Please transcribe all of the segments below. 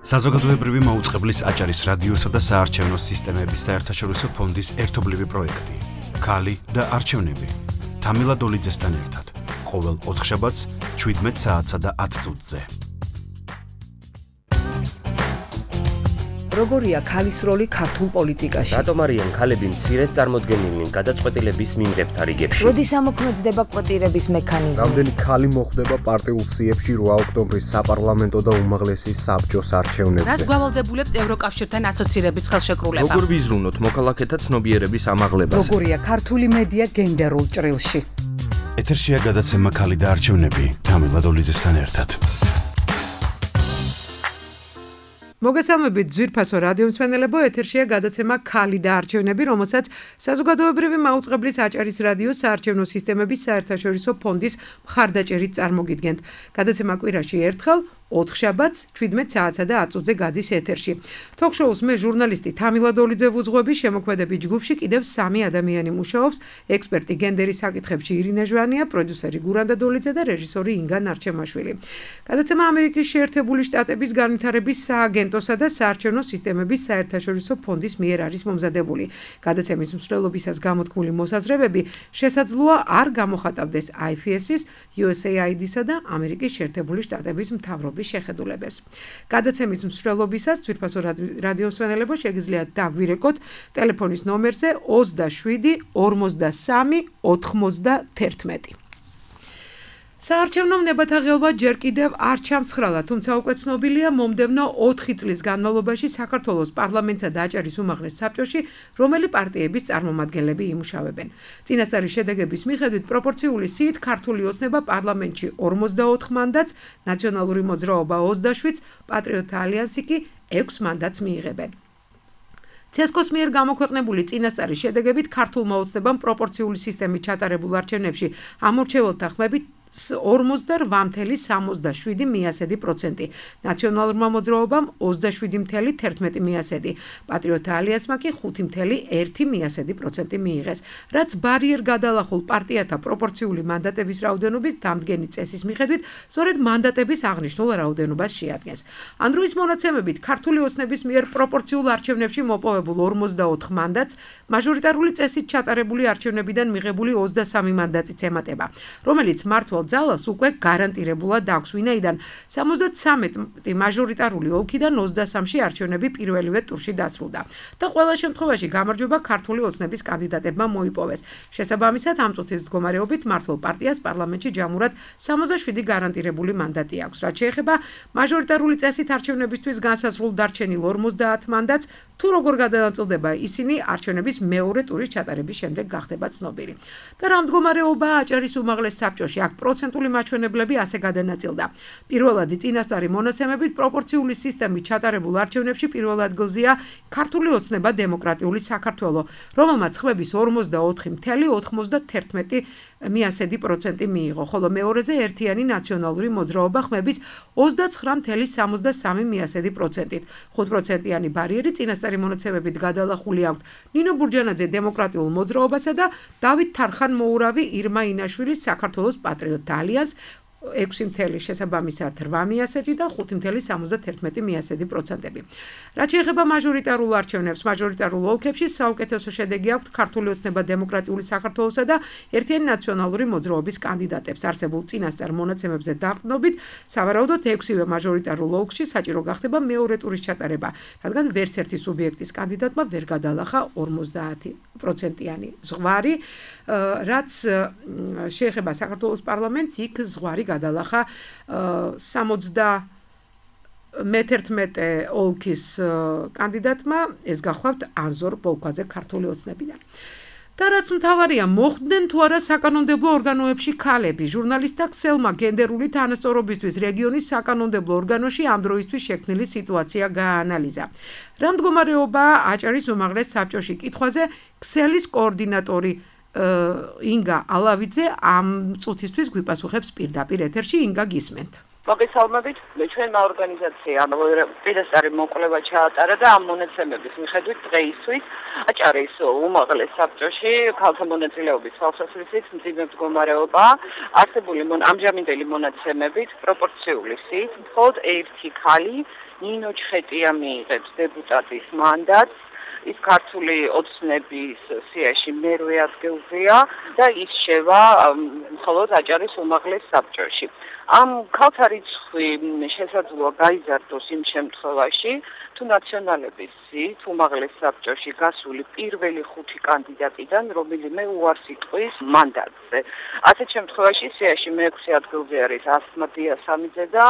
საზოგადოებრივი მაუწყებლის აჭარის რადიოსა და საარჩევნო სისტემების საერთაშორისო ფონდის ერთობლივი პროექტი. ქალი და არჩევნები. თამილა დოლიძესთან ერთად. ყოველ ოთხშაბათს 17 საათსა და 10 წუთზე. როგორია ქალის როლი ქართულ პოლიტიკაში? რატომ არიან ქალები მცირედ წარმოდგენილნი გადაწყვეტილების მიმღებთა რიგებში? როდის ამოქმედდება კვოტირების მექანიზმი? რამდენი ქალი მოხვდება პარტიულ სიებში 8 ოქტომბრის საპარლამენტო და უმაღლესი საბჭოს არჩევნებზე? რას გვალდებულებს ევროკავშირთან ასოცირების ხელშეკრულება? როგორ ვიზრუნოთ მოქალაქეთა ცნობიერების ამაღლებას? როგორია ქართული მედია გენდერულ ჭრილში? ეთერშია გადაცემა ქალი და არჩევნები. თამილა დოლიძესთან ერთად. მოგესალმებით ძვირფასო რადიომსმენელებო, ეთერშია გადაცემა ქალი და არჩევნები, რომელსაც საზოგადოებრივი მაუწყებლის აჭარის რადიოს საარჩევნო სისტემების საერთაშორისო ფონდის მხარდაჭერით წარმოგიდგენთ. გადაცემა კვირაში ერთხელ 4 შაბათს 17 საათსა და 10 წუთზე გადის ეთერში. თოქ-შოუს მე ჟურნალისტი თამილა დოლიძე ვუძღვები, შემოქმედების ჯგუფში კიდევ 3 ადამიანი მუშაობს, ექსპერტი გენდერის საკითხებში ირინა ჟვანია, პროდიუსერი გურანდა დოლიძე და რეჟისორი ინგა ნარჩემაშვილი. გადაცემა ამერიკის შეერთებული შტატების განვითარების სააგენტოსა და საარჩევნო სისტემების საერთაშორისო ფონდის მიერ არის მომზადებული. გადაცემის მსვლელობისას გამოთქმული მოსაზრებები შესაძლოა არ გამოხატავდეს IFS-ის, USAID-სა და ამერიკის შეერთებული შტატების მთავრობის შეხედულებებს. გადაცემის მსვლელობისას ძვირფასო რადიომსმენელებო შეგიძლიათ დაგვირეკოთ ტელეფონის ნომერზე 27 53 91. საარჩევნო ნებათა ღელვა ჯერ კიდევ არ ჩამცხრალა, თუმცა უკვე ცნობილია მომდევნო 4 წლის განმავლობაში საქართველოს პარლამენტსა და აჭარის უმაღლეს საბჭოში რომელი პარტიების წარმომადგენლები იმუშავებენ. წინასწარი შედეგების მიხედვით პროპორციული სიით ქართული ოცნება პარლამენტში 44 მანდატს, ნაციონალური მოძრაობა 27, პატრიოტთა ალიანსი კი 6 მანდატს მიიღებენ. ცესკოს მიერ გამოქვეყნებული წინასწარი შედეგებით ქართულმა ოცნებამ პროპორციული სისტემით ჩატარებულ არჩევნებში ამორჩეველთა ხმებით 48,77%, ნაციონალურმა მოძრაობამ 27,11%, პატრიოტთა ალიანსმა კი 5,1% მიიღეს, რაც ბარიერ გადალახულ პარტიათა პროპორციული მანდატების რაოდენობის დამდგენი წესის მიხედვით სწორედ მანდატების აღნიშნულ რაოდენობას შეადგენს. ამ დროის მონაცემებით ქართული ოცნების მიერ პროპორციულ არჩევნებში მოპოვებულ 44 მანდატს მაჟორიტარული წესით ჩატარებული არჩევნებიდან მიღებული 23 მანდატიც ემატება, რომელიც მართვა ძალას უკვე გარანტირებულად აქვს, ვინაიდან 73 მაჟორიტარული ოლქიდან 23-ში არჩევნები პირველივე ტურში დასრულდა და ყველა შემთხვევაში გამარჯვება ქართული ოცნების კანდიდატებმა მოიპოვეს. შესაბამისად, ამ წუთის მდგომარეობით მართლ პარტიას პარლამენტში ჯამურად 67 გარანტირებული მანდატი აქვს. რაც შეეხება მაჟორიტარული წესით არჩევნებისთვის განსაზღვრულ დარჩენილ 50 მანდატს, თუ როგორ გადანაწილდება ისინი არჩევნების მეორე ტურის ჩატარების შემდეგ გახდება ცნობილი. და რა მდგომარეობაა აჭარის უმაღლეს საბჭოში? აქ პროცენტული მაჩვენებლები ასე გადანაწილდა. პირველადი წინასწარი მონაცემებით პროპორციული სისტემით ჩატარებულ არჩევნებში პირველ ადგილზეა ქართული ოცნება დემოკრატიული საქართველო, რომელმაც ხმების 44,91% მიიღო, ხოლო მეორეზე ერთიანი ნაციონალური მოძრაობა ხმების 29,73%. 5%-იანი ბარიერი წინასწარი მონაცემებით გადალახული აქვს ნინო ბურჯანაძე დემოკრატიულ მოძრაობასა და დავით თარხან-მოურავი ირმა ინაშვილის საქართველოს პატრიოტთა ალიანსს 6 შესაბამისად 8% და 5,71%. რაც შეეხება მაჟორიტარულ არჩევნებს, მაჟორიტარულ ოლქებში საუკეთესო შედეგი აქვს ქართული ოცნება დემოკრატიული საქართველოსა და ერთიანი ნაციონალური მოძრაობის კანდიდატებს. არსებულ წინასწარ მონაცემებზე დაყრდნობით, სავარაუდოდ 6-ვე მაჟორიტარულ ოლქში საჭირო გახდება მეორე ტურის ჩატარება, რადგან ვერც ერთი სუბიექტის კანდიდატმა ვერ გადალახა 50%-იანი ზღვარი, რაც შეეხება საქართველოს პარლამენტს, იქ ზღვარი გადალახა 71 ოლქის კანდიდატმა, ეს გახლავთ ანზორ ბოლქვაძე ქართული ოცნებიდან. და რაც მთავარია, მოხვდნენ თუ არა საკანონმდებლო ორგანოებში ქალები. ჟურნალისტთა ქსელმა გენდერული თანასწორობისთვის რეგიონის საკანონმდებლო ორგანოში ამ დროისთვის შექმნილი სიტუაცია გააანალიზა. რა მდგომარეობაა აჭარის უმაღლეს საბჭოში? კითხვაზე ქსელის კოორდინატორი ინგა ალავიძე ამ წუთისთვის გვიპასუხებს პირდაპირ ეთერში. ინგა, გისმენთ. მოგესალმებით, ჩვენმა ორგანიზაციამ პირდაპირ მოკვლევა ჩაატარა და ამ მონაცემების მიხედვით დღეისთვის აჭარის უმაღლეს საბჭოში ქალთა მონაწილეობის თვალსაზრისით მძიმე მდგომარეობა არსებული ამჟამინდელი მონაცემებით პროპორციული სიით მხოლოდ ერთი ხალი ნინო ჩხეტია მიიღებს დეპუტატის მანდატს ის ქართული ოცნების სიაში მერვე ადგილზეა და ის შევა მხოლოდ აჭარის უმაღლეს საბჭოში. ამ ქალთა რიცხვი შესაძლოა გაიზარდოს იმ შემთხვევაში, თუ ნაციონალების სიით უმაღლეს საბჭოში გასული პირველი 5 კანდიდატიდან რომელიმე უარს იტყვის მანდატზე. ასეთ შემთხვევაში სიაში მე-6 ადგილზე არის ასმა დიასამიძე და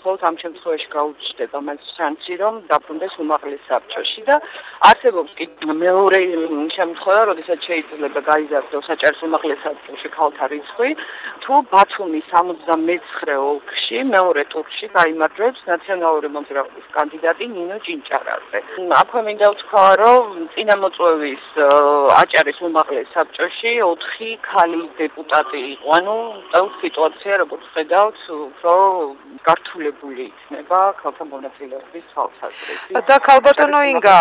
მხოლოდ ამ შემთხვევაში გაუჩნდება მას შანსი, რომ დაბრუნდეს უმაღლეს საბჭოში და არსებობს კი მეორე შემთხვევა, როდესაც შეიძლება გაიზარდოს აჭარის უმაღლეს საბჭოში ქალთა რიცხვი, თუ ბათუმის 79 ოლქში მეორე ტურში გაიმარჯვებს ნაციონალური მოძრაობის კანდიდატი ნინო ჭინჭარაძე. აქვე მინდა ვთქვა, რომ წინამოწვევის აჭარის უმაღლეს საბჭოში 4 ქალი დეპუტატი იყო. ანუ სიტუაცია, როგორც ხედავთ, უფრო გართულებული იქნება ქალთა მონაწილეობის თვალსაზრისით. და ქალბატონო ინგა,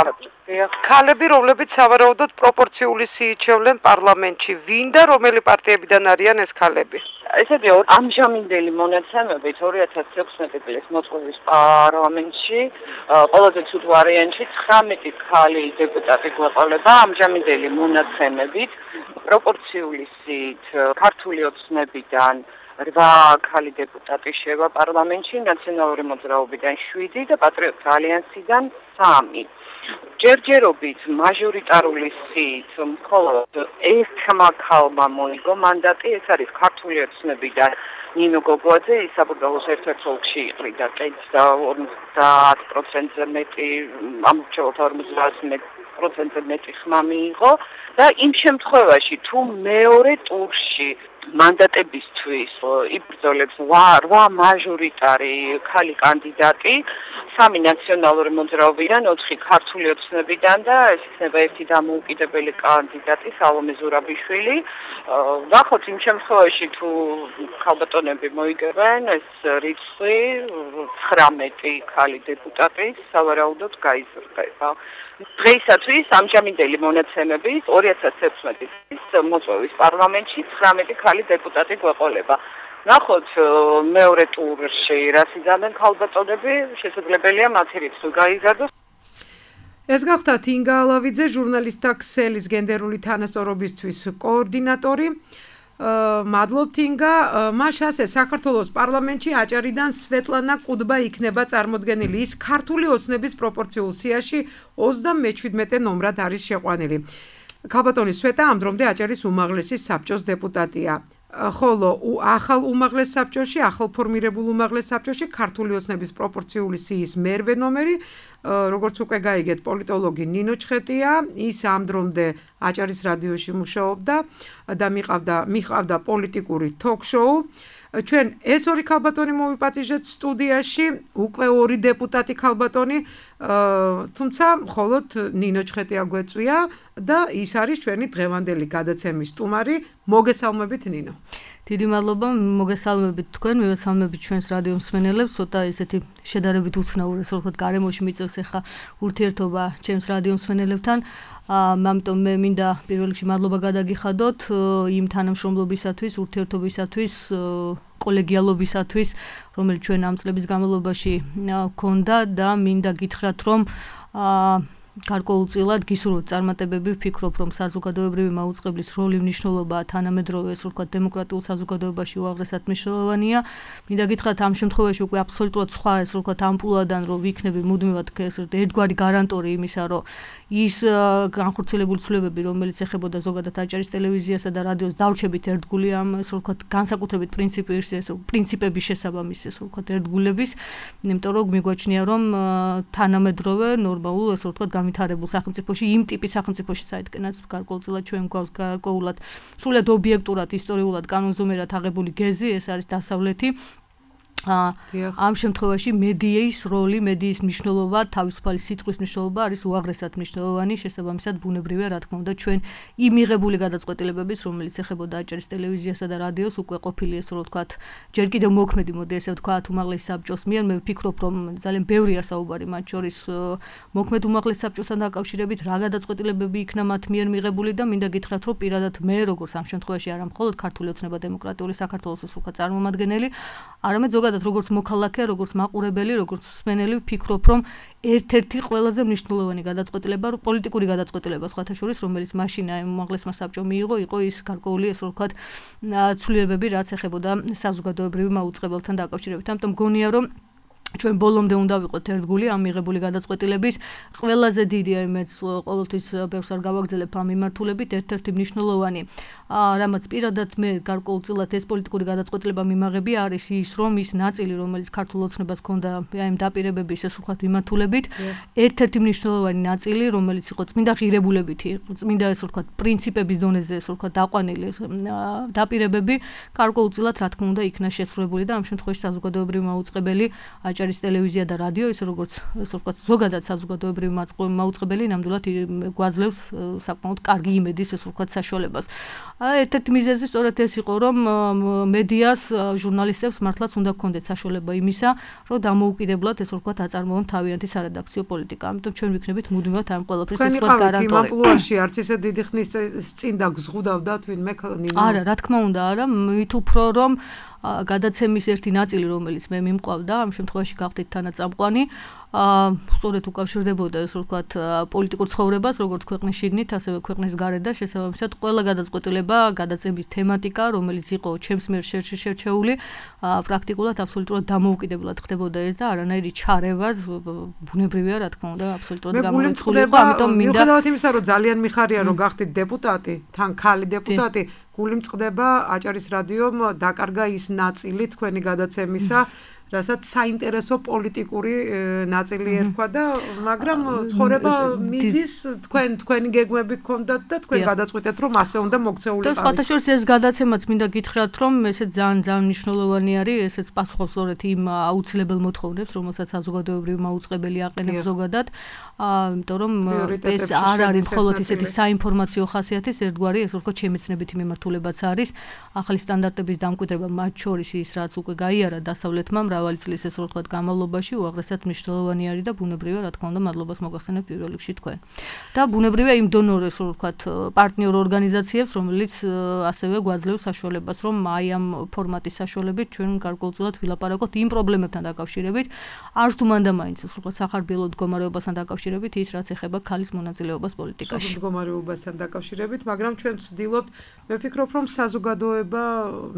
ქალები, რომლებიც სავარაუდოდ პროპორციული სიით შევლენ პარლამენტში, ვინ და რომელი პარტიებიდან არიან ეს ქალები? ესეთი ამჟამინდელი მონაცემებით 2016 წლის მოწვევის პარლამენტში ყველაზე ცუდ ვარიანტში 19 ქალი დეპუტატი გვეყოლება ამჟამინდელი მონაცემებით პროპორციული სიით ქართული ოცნებიდან 8 ქალი დეპუტატი შევა პარლამენტში, ნაციონალური მოძრაობიდან 7 და პატრიოტთა ალიანსიდან 3. ჯერჯერობით მაჟორიტარული სიით მხოლოდ ერთმა ქალმა მოიგო მანდატი, ეს არის ქართული ოცნებიდან ნინო გოგოაძე, ის საბრძოლოს ერთ-ერთ ოლქში იყრიდა კეთს და 50%-ზე მეტი, ამორჩეულთა 50%-ზე მეტი ხმა მიიღო და იმ შემთხვევაში თუ მეორე ტურში მანდატებისთვის იბრძოლებს 8 მაჟორიტარი ქალი კანდიდატი, 3 ნაციონალური მოძრაობიდან, 4 ქართული ოცნებიდან და ეს იქნება ერთი დამოუკიდებელი კანდიდატი სალომე ზურაბიშვილი. ნახოთ იმ შემთხვევაში თუ ქალბატონები მოიგებენ ეს რიცხვი 19 ქალი დეპუტატი სავარაუდოდ გაიზრდება. დღეისათვის ამჟამინდელი მონაცემებით 2016 წლის მოწვევის პარლამენტში 19 ქალი დეპუტატი გვეყოლება. ნახოთ მეორე ტურში რას იზამენ ქალბატონები, შესაძლებელია მათი რიცხვი გაიზარდოს. ეს გახდათ ინგა ალავიძე, ჟურნალისტთა ქსელის გენდერული თანასწორობისთვის კოორდინატორი. მადლობთ ინგა. მას ასე საქართველოს პარლამენტში აჭარიდან სვეტლანა კუდბა იქნება წარმოდგენილი. ის ქართული ოცნების პროპორციულ სიაში 37 ნომრად არის შეყვანილი. ქალბატონი სვეტა ამ დრომდე აჭარის უმაღლესი საბჭოს დეპუტატია. ხოლო ახალ უმაღლეს საბჭოში, ახალ ფორმირებულ უმაღლეს საბჭოში ქართული ოცნების პროპორციული სიის მერვე ნომერი, როგორც უკვე გაიგეთ, პოლიტოლოგი ნინო ჩხეტია, ის ამ დრომდე აჭარის რადიოში მუშაობდა და მიყავდა პოლიტიკური ток-შოუ. ჩვენ ეს ორი ქალბატონი მოვიპატიჟეთ სტუდიაში, უკვე 2 დეპუტატი ქალბატონი, თუმცა მხოლოდ ნინო ჩხეტია გვეწვია და ის არის ჩვენი დღევანდელი გადაცემის სტუმარი. მოგესალმებით ნინო. დიდი მადლობა, მოგესალმებით თქვენ, მივესალმებით ჩვენს რადიო მსმენელებს, ცოტა ესეთი შედარებით უცნაური, ასე ვთქვათ, გარემოში მიწევს ახლა ურთიერთობა ჩემს რადიო მსმენელებთან. ამიტომ მე მინდა პირველ რიგში მადლობა გადაგიხადოთ იმ თანამშრომლობისათვის, ურთიერთობისათვის, კოლეგიალობისათვის, რომელიც ჩვენ ამ წლების განმავლობაში გქონდა და მინდა გითხრათ, რომ გარკვეულწილად გისურვებთ წარმატებები, ვფიქრობ, რომ საზოგადოებრივი მაუწყებლის როლი მნიშვნელობა თანამედროვე, ასე ვთქვათ, დემოკრატიულ საზოგადოებაში უაღრესად მნიშვნელოვანია. მინდა გითხრათ, ამ შემთხვევაში უკვე აბსოლუტურად სხვა, ასე ვთქვათ, ამპლუადან რომ ვიქნები მუდმივად ერთგვარი გარანტორი იმისა, რომ ის განხორციელებული ცვლილებები, რომელიც ეხებოდა ზოგადად აჭარის ტელევიზიასა და რადიოს დავრჩებით ერთგული ამ, ასე ვთქვათ, განსაკუთრებით პრინციპების შესაბამისი, ასე ვთქვათ, ერთგულების, იმიტომ რომ მიგვაჩნია, რომ თანამედროვე, ნორმალურ, ასე ვთქვათ, განვითარებულ სახელმწიფოში, იმ ტიპის სახელმწიფოში საერთკენაც გარკვეულწილად ჩვენ გვაქვს გარკვეულად სრულად ობიექტურად, ისტორიულად, კანონზომიერად აღებული გეზი, ეს არის დასავლეთი. ამ შემთხვევაში მედიის როლი, მედიის მნიშვნელობა, თავისუფალი სიტყვის მნიშვნელობა არის უაღრესად მნიშვნელოვანი, შესაბამისად ბუნებრივია, რა თქმა უნდა, ჩვენ იმ მიღებული გადაწყვეტილებების, რომელიც ეხებოდა აჭარის ტელევიზიასა და რადიოს, უკვე ყოფილი ესე რომ ვთქვათ, ჯერ კიდევ მოქმედი, მოდი ესე ვთქვათ, უმაღლეს საბჭოს მიერ, მე ვფიქრობ, რომ ძალიან ბევრია საუბარი მათ შორის მოქმედ უმაღლეს საბჭოსთან დაკავშირებით, რა გადაწყვეტილებები იქნა მათ მიერ მიღებული და მინდა გითხრათ, რომ პირადად მე როგორც ამ შემთხვევაში არა მხოლოდ ქართული ოცნება დემოკრატიული საქართველოს უცხო წარმომადგენელი, არამედ ზოგადად როგორც მოქალაქე, როგორც მაყურებელი, როგორც მსმენელი ვფიქრობ, რომ ერთ-ერთი ყველაზე მნიშვნელოვანი გადაწყვეტილება, პოლიტიკური გადაწყვეტილება სხვათა შორის, რომელიც მაშინ აი უმაღლესმა საბჭომ მიიღო, იყო ის გარკვეული ესე ვთქვათ ცვლილებები, რაც ეხებოდა საზოგადოებრივ მაუწყებელთან დაკავშირებით. ამიტომ გონია, რომ ჩვენ ბოლომდე უნდა ვიყოთ ერთგული ამ მიღებული გადაწყვეტილების ყველაზე დიდი აი მეც ყოველთვის ბევრს არ გავაგზავნებ ამ მიმართულებით ერთ-ერთი მნიშვნელოვანი რამაც პირადად მე გარკვეულწილად ეს პოლიტიკური გადაწყვეტილება მიმაღები არის ის რომ ის ნაწილი რომელიც ქართულ ოცნებას ჰქონდა აი ამ დაპირებების ეს ვთქვათ მიმართულებით ერთ-ერთი მნიშვნელოვანი ნაწილი რომელიც იყო წმინდა ღირებულებითი წმინდა ეს ვთქვათ პრინციპების დონეზე ეს ვთქვათ დაყვანილი დაპირებები გარკვეულწილად რა თქმა უნდა იქნა შესრულებული და ამ შემთხვევაში საზოგადოებრივი მაუწყებელი აჭარის ტელევიზია და რადიო ისე როგორც ასე ვთქვათ ზოგადად საზოგადოებრივი მაუწყებელი ნამდვილად გვაძლევს საკმაოდ კარგი იმედის ასე ვთქვათ საშუალებას. ერთ-ერთი მიზეზი სწორედ ეს იყო რომ მედიას ჟურნალისტებს მართლაც უნდა გქონდეთ საშუალება იმისა რომ დამოუკიდებლად ასე ვთქვათ აწარმოონ თავიანთი სარედაქციო პოლიტიკა. ამიტომ ჩვენ ვიქნებით მუდმივად ამ ყველაფრის ასე ვთქვათ გარანტორი. იმ ამპლუაში არც ისე დიდი ხნის წინ დაგზღუდავდათ ვინმე ნინო. არა, რა თქმა უნდა, არა, მით უფრო რომ გადაცემის ერთი ნაწილი რომელიც მე მიმყავდა ამ შემთხვევაში გავხდით თანაწამყვანი სწორედ უკავშირდებოდა ეს ვთქვათ პოლიტიკურ ცხოვრებას როგორც ქვეყნის შიგნით ასევე ქვეყნის გარეთ და შესაბამისად ყველა გადაწყვეტილება გადაცემის თემატიკა რომელიც იყო ჩემს მიერ შერჩეული პრაქტიკულად აბსოლუტურად დამოუკიდებლად ხდებოდა ეს და არანაირი ჩარევას ბუნებრივია რა თქმა უნდა აბსოლუტურად გამორიცხული იყო ამიტომ მინდა მიუხედავად იმისა რომ ძალიან მიხარია რომ გახდით დეპუტატი თან ქალი დეპუტატი გული მწყდება აჭარის რადიომ დაკარგა ის ნაწილი თქვენი გადაცემისა რასაც საინტერესო პოლიტიკური ნაწილი ერქვა და მაგრამ ცხოვრება მიდის თქვენი გეგმები გქონდათ და თქვენ გადაწყვიტეთ რომ ასე უნდა მოქცეულიყავით. და სხვათა შორის ეს გადაცემაც მინდა გითხრათ რომ ესეც ძალიან მნიშვნელოვანი არის ესეც პასუხობს სწორედ იმ აუცილებელ მოთხოვნებს რომელსაც საზოგადოებრივი მაუწყებელი აყენებს ზოგადად იმიტომ რომ ეს არ არის მხოლოდ ისეთი საინფორმაციო ხასიათის ერთგვარი ეს ვთქვათ შემეცნებითი მიმართულებაც არის ახალი სტანდარტების დამკვიდრება მათ შორის ის რაც უკვე გაიარა დასავლეთმა მრავალი წლის ეს ვთქვათ განმავლობაში უაღრესად მნიშვნელოვანი არის და ბუნებრივია რა თქმა უნდა მადლობას მოგახსენებ პირველ რიგში თქვენ. და ბუნებრივია იმ დონორებს ვთქვათ პარტნიორ ორგანიზაციებს რომელიც ასევე გვაძლევს საშუალებას რომ აი ამ ფორმატის საშუალებით ჩვენ გარკვეულწილად ვილაპარაკოთ იმ პრობლემებთან დაკავშირებით არც თუ მანდამაინც ვთქვათ სახარბიელო მდგომარეობასთან დაკავშირებით ის რაც ეხება ქალის მონაწილეობას პოლიტიკაში. მდგომარეობასთან დაკავშირებით მაგრამ ჩვენ ვცდილობთ მე ვფიქრობ რომ საზოგადოება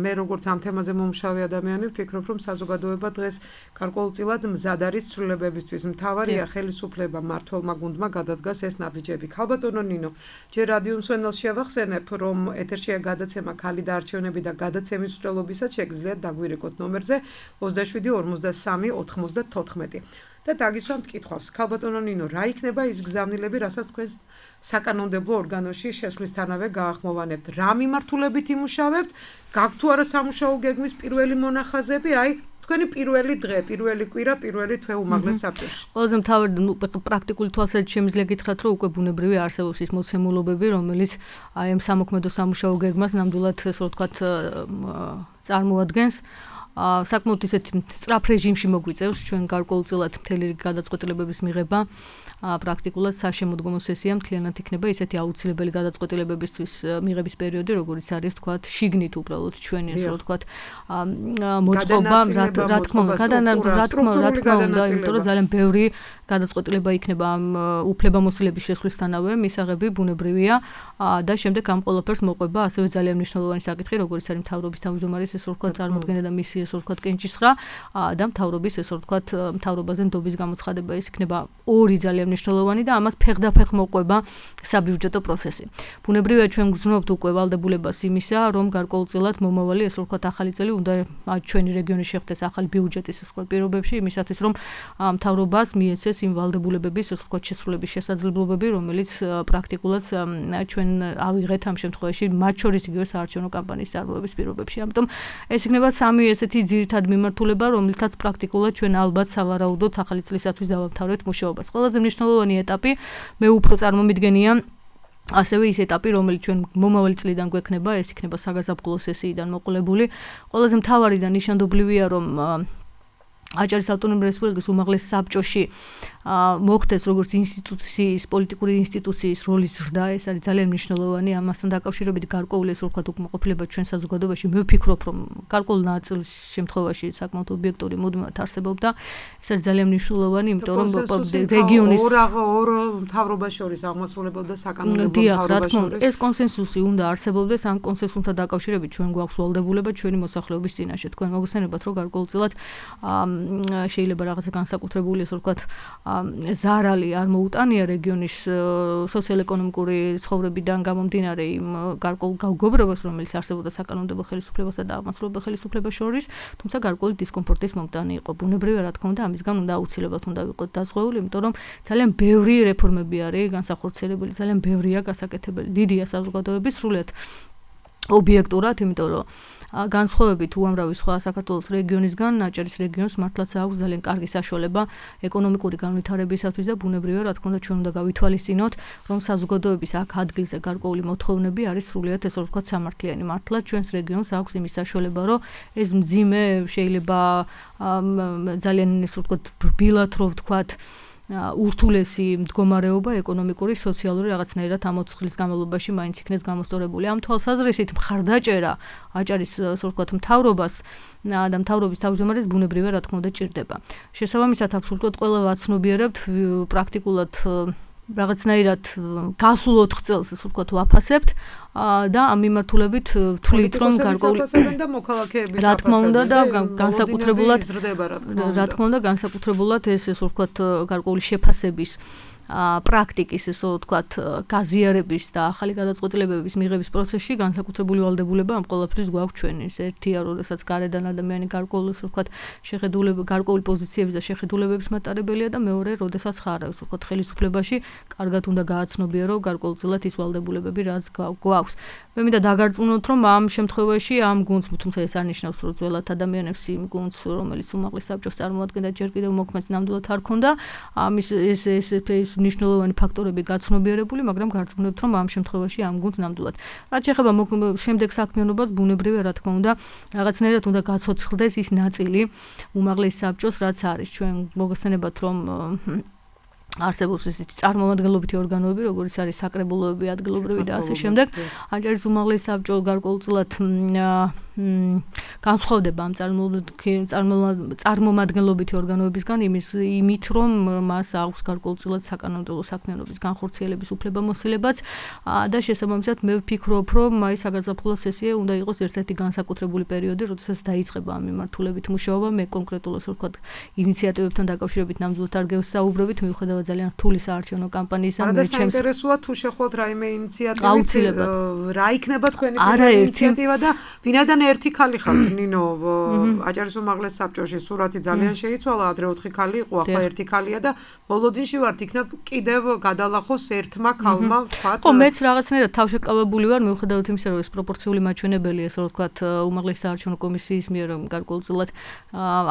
მე როგორც ამ თემაზე მომუშავე ადამიანი ვფიქრობ რომ საზოგადოება დღეს გარკვეულწილად მზად არის ცვლილებებისთვის. მთავარია ხელისუფლება მმართველმა გუნდმა გადადგას ეს ნაბიჯები. ქალბატონო ნინო, ჯერ რადიო მსმენელს შევახსენებ, რომ ეთერშია გადაცემა ქალი და არჩევნები და გადაცემის მსვლელობისას შეგიძლიათ დაგვირეკოთ ნომერზე 27 43 94. და დაგისვამთ კითხვას. ქალბატონო ნინო, რა იქნება ის გზავნილები, რასაც თქვენ საკანონმდებლო ორგანოში შესვლისთანავე გაახმოვანებთ? რა მიმართულებით იმუშავებთ? გაქვთ თუ არა სამუშაო გეგმის პირველი მონახაზები? აი თქვენი პირველი დღე, პირველი კვირა, პირველი თვე უმაღლეს საბჭოში. ყველაზე მთავარი პრაქტიკული თვალსაზრისით შემიძლია გითხრათ, რომ უკვე ბუნებრივი არსებობს ის მოცემულობები, რომელიც აი ამ სამოქმედო სამუშაო გეგმას ნამდვილად ესე ვთქვათ წარმოადგენს. საკმაოდ ისეთი სწრაფ რეჟიმში მოგვიწევს ჩვენ გარკვეულწილად მთელი გადაწყვეტილებების მიღება პრაქტიკულად საშემოდგომო სესია მთლიანად იქნება ისეთი აუცილებელი გადაწყვეტილებებისთვის მიღების პერიოდი როგორიც არის ვთქვათ შიგნით უბრალოდ ჩვენი ესე ვთქვათ მოწყობა რა თქმა უნდა იმიტომ რომ ძალიან ბევრი გადაწყვეტილება იქნება ამ უფლებამოსილების შესვლისთანავე მისაღები ბუნებრივია და შემდეგ ამ ყველაფერს მოყვება ასევე ძალიან მნიშვნელოვანი საკითხი როგორც არის მთავრობის თავმჯდომარის ესე ვთქვათ წარმოქმნა და მისი ესე ვთქვათ კენჭისხრა და მთავრობის ესე ვთქვათ მთავრობაზე ნდობის გამოცხადება ის იქნება ორი ძალიან მნიშვნელოვანი და ამას ფეხდაფეხ მოყვება საბიუჯეტო პროცესი. ბუნებრივია ჩვენ გრძნობთ უკვე ვალდებულებას იმისა, რომ გარკვეულწილად მომავალი ესე ვთქვათ ახალი წელი უნდა ჩვენი რეგიონი შეხვდეს ახალი ბიუჯეტის ესე ვთქვათ პირობებში იმისათვის რომ მთავრობას მიეცეს იმ ვალდებულებების ესე ვთქვათ შესრულების შესაძლებლობები, რომელიც პრაქტიკულად ჩვენ ავიღეთ ამ შემთხვევაში მათ შორის იგივე საარჩევნო კამპანიის წარმოების პირობებში. ამიტომ ეს იქნება სამი ესეთი ესეთი ძირითადი მიმართულება, რომელთაც პრაქტიკულად ჩვენ ალბათ სავარაუდოდ ახალი წლისათვის დავამთავრებთ მუშაობას. ყველაზე მნიშვნელოვანი ეტაპი მე უფრო წარმომიდგენია ასევე ის ეტაპი, რომელიც ჩვენ მომავალი წლიდან გვექნება, ეს იქნება საგაზაფხულო სესიიდან მოყოლებული. ყველაზე მთავარი და ნიშანდობლივია, რომ აჭარის ავტონომიური რესპუბლიკის უმაღლეს საბჭოში მოხდეს როგორც ინსტიტუციის, პოლიტიკური ინსტიტუციის როლის ზრდა, ეს არის ძალიან მნიშვნელოვანი. ამასთან დაკავშირებით გარკვეული ეს ვთქვათ უკმაყოფილება ჩვენ საზოგადოებაში, მე ვფიქრობ, რომ გარკვეულ ნაწილ შემთხვევაში საკმაოდ ობიექტური მუდმივად არსებობდა. ეს არის ძალიან მნიშვნელოვანი, იმიტომ რომ რეგიონის ორ მთავრობას შორის აღმასრულებელთა საკანონმდებლო მთავრობას შორის ეს კონსენსუსი უნდა არსებობდეს. ამ კონსენსუსთან დაკავშირებით ჩვენ გვაქვს ვალდებულება ჩვენი მოსახლეობის წინაშე. თქვენ მოგესალმებათ, რომ გარკვეულწილად შეიძლება რაღაცა განსაკუთრებული ეს ვთქვათ ზარალი არ მოუტანია რეგიონის სოციალ-ეკონომიკური ცხოვრებიდან გამომდინარე იმ გარკვეულ გაუგობრებას, რომელიც არსებობდა საკანონმდებლო ხელისუფლებასა და აღმასრულებელ ხელისუფლებას შორის, თუმცა გარკვეული დისკომფორტის მომტანი იყო. ბუნებრივია, რა თქმა უნდა, ამისგან უნდა აუცილებლად უნდა ვიყოთ დაზღვეული, იმიტომ რომ ძალიან ბევრი რეფორმები არის განსახორციელებელი, ძალიან ბევრია გასაკეთებელი. დიდია საზოგადოების სრულიად ობიექტურად, იმიტომ რომ განსხვავებით უამრავი სხვა საქართველოს რეგიონისგან, აჭარის რეგიონს მართლაც აქვს ძალიან კარგი საშუალება ეკონომიკური განვითარებისათვის და ბუნებრივია, რა თქმა უნდა, ჩვენ უნდა გავითვალისწინოთ, რომ საზოგადოების აქ ადგილზე გარკვეული მოთხოვნები არის სრულიად ესე ვთქვათ სამართლიანი. მართლაც ჩვენს რეგიონს აქვს იმის საშუალება, რომ ეს მძიმე შეიძლება ძალიან ესე ვთქვათ რბილად რო ვთქვათ ურთულესი მდგომარეობა ეკონომიკური, სოციალური რაღაცნაირად ამ 4 წლის განმავლობაში მაინც იქნეს გამოსწორებული. ამ თვალსაზრისით მხარდაჭერა აჭარის ასე ვთქვათ მთავრობას და მთავრობის თავმჯდომარეს ბუნებრივია, რა თქმა უნდა, ჭირდება. შესაბამისად, აბსოლუტურად ყველა ვაცნობიერებთ პრაქტიკულად რაღაცნაირად გასულ 4 წელს ასე ვთქვათ ვაფასებთ და ამ მიმართულებით ვთვლით, რომ გარკვეული და მოქალაქეების რა თქმა უნდა და განსაკუთრებულად რა თქმა უნდა განსაკუთრებულად ეს ასე ვთქვათ გარკვეული შეფასების პრაქტიკის ესე ვთქვათ გაზიარების და ახალი გადაწყვეტილებების მიღების პროცესში განსაკუთრებული ვალდებულება ამ ყველაფრის გვაქვს ჩვენი. ერთია, როდესაც გარედან ადამიანი გარკვეული ესე ვთქვათ შეხედულება, გარკვეული პოზიციების და შეხედულებების მატარებელია და მეორე, როდესაც ხარ ესე ვთქვათ ხელისუფლებაში, კარგად უნდა გააცნობიერო გარკვეულწილად ის ვალდებულებები, რაც გვაქვს. მე მინდა დაგარწმუნოთ, რომ ამ შემთხვევაში ამ გუნდს, თუმცა ეს არ ნიშნავს, რომ ძველად ადამიანებს იმ გუნდს, რომელიც უმაღლეს საბჭოს წარმოადგენდა, ჯერ კიდევ მოქმედს ნამდვილად არ ქონდა. ამის ეს მნიშვნელოვანი ფაქტორები გაცნობიერებული, მაგრამ გარწმუნებთ, რომ ამ შემთხვევაში ამ გუნდს ნამდვილად. რაც შეეხება შემდეგ საქმიანობას, ბუნებრივია, რა თქმა უნდა, რაღაცნაირად უნდა გაცოცხლდეს ის ნაწილი უმაღლეს საბჭოს, რაც არის. ჩვენ მოგესალმებათ, რომ არსებობს ესეთი წარმომადგენლობითი ორგანოები, როგორც არის საკრებულოები, ადგილობრივი და ასე შემდეგ. აჭარის უმაღლეს საბჭო გარკვეულწილად განსხვავდება ამ წარმომადგენლობითი ორგანოებისგან იმით, რომ მას აქვს გარკვეულწილად საკანონმდებლო საქმიანობის განხორციელების უფლებამოსილებაც და შესაბამისად მე ვფიქრობ, რომ აი საგაზაფხულო სესია უნდა იყოს ერთ-ერთი განსაკუთრებული პერიოდი, როდესაც დაიწყება ამ მიმართულებით მუშაობა. მე კონკრეტულად ასე ვთქვათ ინიციატივებთან დაკავშირებით ნამდვილად არ გესაუბრებით, მიუხედავად ძალიან რთული საარჩევნო კამპანიისა. არა და საინტერესოა თუ შეხვალთ რაიმე ინიციატივით, რა იქნება თქვენი ინიციატივა და ვინაიდან ერთი ქალი ხართ ნინო აჭარის უმაღლეს საბჭოში სურათი ძალიან შეიცვალა, ადრე 4 ქალი იყო, ახლა ერთი ქალია და ბოლოდინში ვართ, იქნებ კიდევ გადალახოს ერთმა ქალმა ვთქვათ. ხო, მეც რაღაცნაირად თავშეკავებული ვარ, მიუხედავად იმისა, რომ ეს პროპორციული მაჩვენებელი ესე ვთქვათ უმაღლეს საარჩევნო კომისიის მიერ გარკვეულწილად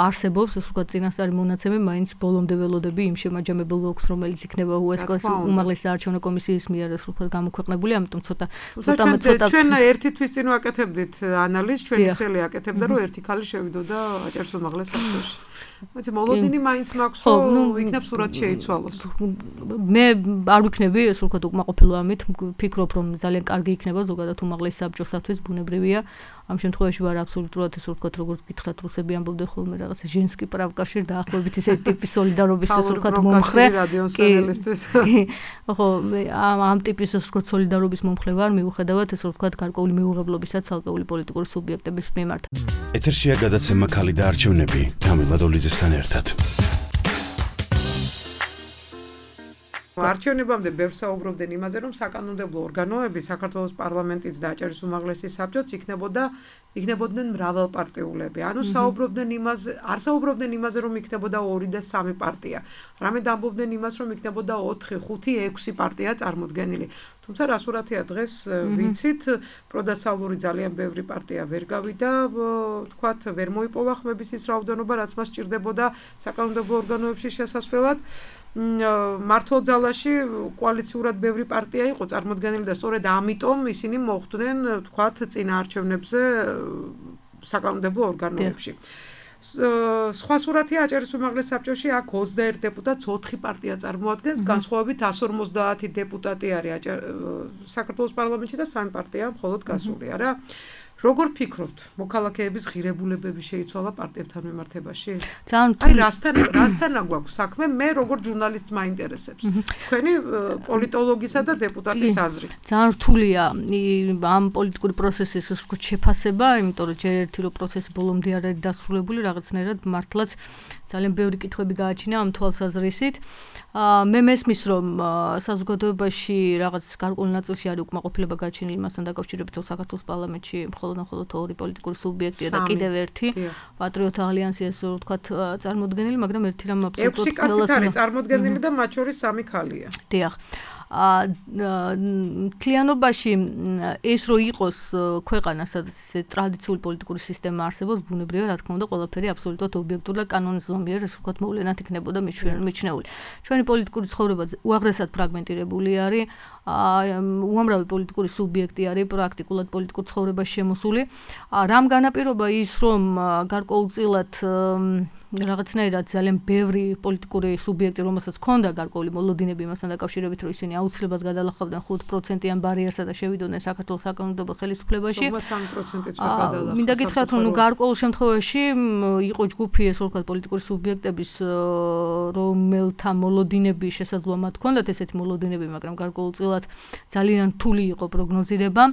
არსებობს, ესე ვთქვათ წინასწარი მონაცემი, მაინც ბოლომდე ველოდები იმ შემაჯამებელ ლოგს, რომელიც იქნება უესკოს უმაღლეს საარჩევნო კომისიის მიერ ესე ვთქვათ გამოქვეყნებული, ამიტომ ცოტა ჩვენ ერთი თვის წინ ვაკეთებდით ანალიზს, ჩვენი ცელი აკეთებდა, რომ ერთი ქალი შევიდოდა აჭარის უმაღლეს საბჭოში. მაგრამ მოლოდინი მაინც მაქვს, რომ იქნებ სურათი შეიცვალოს. მე არ ვიქნები ეს ვთქვათ უკმაყოფილო ამით, ვფიქრობ, რომ ძალიან კარგი იქნება ზოგადად უმაღლეს საბჭოსათვის, ბუნებრივია. ამ შემთხვევაში ვარ აბსოლუტურად ესე ვთქვათ, როგორც გითხრათ, რუსები ამბობდნენ ხოლმე რაღაცა ჟენსკი პრავკაში დაახლოებით ესეთი ტიპის სოლიდარობის ესე ვთქვათ მომხრე. ხო, ამ ტიპის ესე ვთქვათ სოლიდარობის მომხრე ვარ, მიუხედავად ესე ვთქვათ გარკვეული მეუღებლობისა ცალკეული პოლიტიკური სუბიექტების მიმართ. ეთერშია გადაცემა ქალი და არჩევნები თამილა დოლიძესთან ერთად. არჩევნებამდე ბევრ საუბრობდნენ იმაზე, რომ საკანონმდებლო ორგანოები საქართველოს პარლამენტიც და აჭარის უმაღლესი საბჭოც იქნებოდნენ მრავალპარტიულები. ანუ საუბრობდნენ იმაზე, არ საუბრობდნენ იმაზე, რომ იქნებოდა 2 და 3 პარტია. რამედ ამბობდნენ იმას, რომ იქნებოდა 4, 5, 6 პარტია წარმოდგენილი. თუმცა რასურათია დღეს ვიცით, პროდასავლური ძალიან ბევრი პარტია ვერ გავიდა, თქვათ, ვერ მოიპოვა ხმების ის რაოდენობა, რაც მას სჭირდებოდა საკანონმდებლო ორგანოებში შესასვლელად. მართლ ძალაში კოალიციურად ბევრი პარტია იყო წარმოდგენილი და სწორედ ამიტომ ისინი მოხვდნენ, თქვათ, წინაარჩევნებზე საკანონმდებლო ორგანოებში. სხვა სურათია აჭარის უმაღლეს საბჭოში აქ 21 დეპუტატს 4 პარტია წარმოადგენს, განსხვავებით 150 დეპუტატი არის საქართველოს პარლამენტში და 3 პარტია მხოლოდ გასული, არა? როგორ ფიქრობთ, მოქალაქეების ღირებულებები შეიცვალა პარტიებთან მიმართებაში? აი რასთან აგვაქვს საქმე, მე როგორ ჟურნალისტს მაინტერესებს. თქვენი პოლიტოლოგისა და დეპუტატის აზრი. ძალიან რთულია ამ პოლიტიკური პროცესის შეფასება, იმიტომ რომ ჯერ ერთი რო პროცესი ბოლომდე არ არის დასრულებული, რაღაცნაირად მართლაც ძალიან ბევრი კითხვები გააჩინა ამ თვალსაზრისით. მე მესმის, რომ საზოგადოებაში რაღაც გარკვეულ ნაწილში არის უკმაყოფილება გააჩენილი მასთან დაკავშირებით, რომ საქართველოს პარლამენტში მხოლოდ 2 პოლიტიკური სუბიექტია და კიდევ ერთი პატრიოტთა ალიანსი, ესე ვთქვათ, წარმოდგენილი, მაგრამ ერთი რამ აბსოლუტურად 6 კაცით არის წარმოდგენილი და მათ შორის 3 ქალია. დიახ. თლიანობაში ეს რო იყოს ქვეყანა, სადაც ტრადიციული პოლიტიკური სისტემა არსებობს, ბუნებრივია, რა თქმა უნდა, ყველაფერი აბსოლუტურად ობიექტური და კანონზომიერ, ესე ვთქვათ, მოვლენად იქნებოდა მიჩნეული. ჩვენი პოლიტიკური ცხოვრება უაღრესად ფრაგმენტირებული არის, უამრავი პოლიტიკური სუბიექტი არის პრაქტიკულად პოლიტიკურ ცხოვრებაში შემოსული. რამ განაპირობა ის, რომ გარკვეულწილად რაღაცნაირად ძალიან ბევრი პოლიტიკური სუბიექტი, რომელსაც ჰქონდა გარკვეული მოლოდინები მასთან დაკავშირებით, რომ ისინი აუცილებლად გადალახავდნენ 5%-იან ბარიერსა და შევიდოდნენ საქართველოს საკანონმდებლო ხელისუფლებაში. 3%-იც გადალახა. მინდა გითხრათ, რომ გარკვეულ შემთხვევაში იყო ჯგუფი, ესე ვთქვათ, პოლიტიკური სუბიექტების, რომელთა მოლოდინები შესაძლოა მათ ჰქონდათ ესეთი მოლოდინები, მაგრამ გარკვეულწილად ძალიან რთული იყო პროგნოზირება.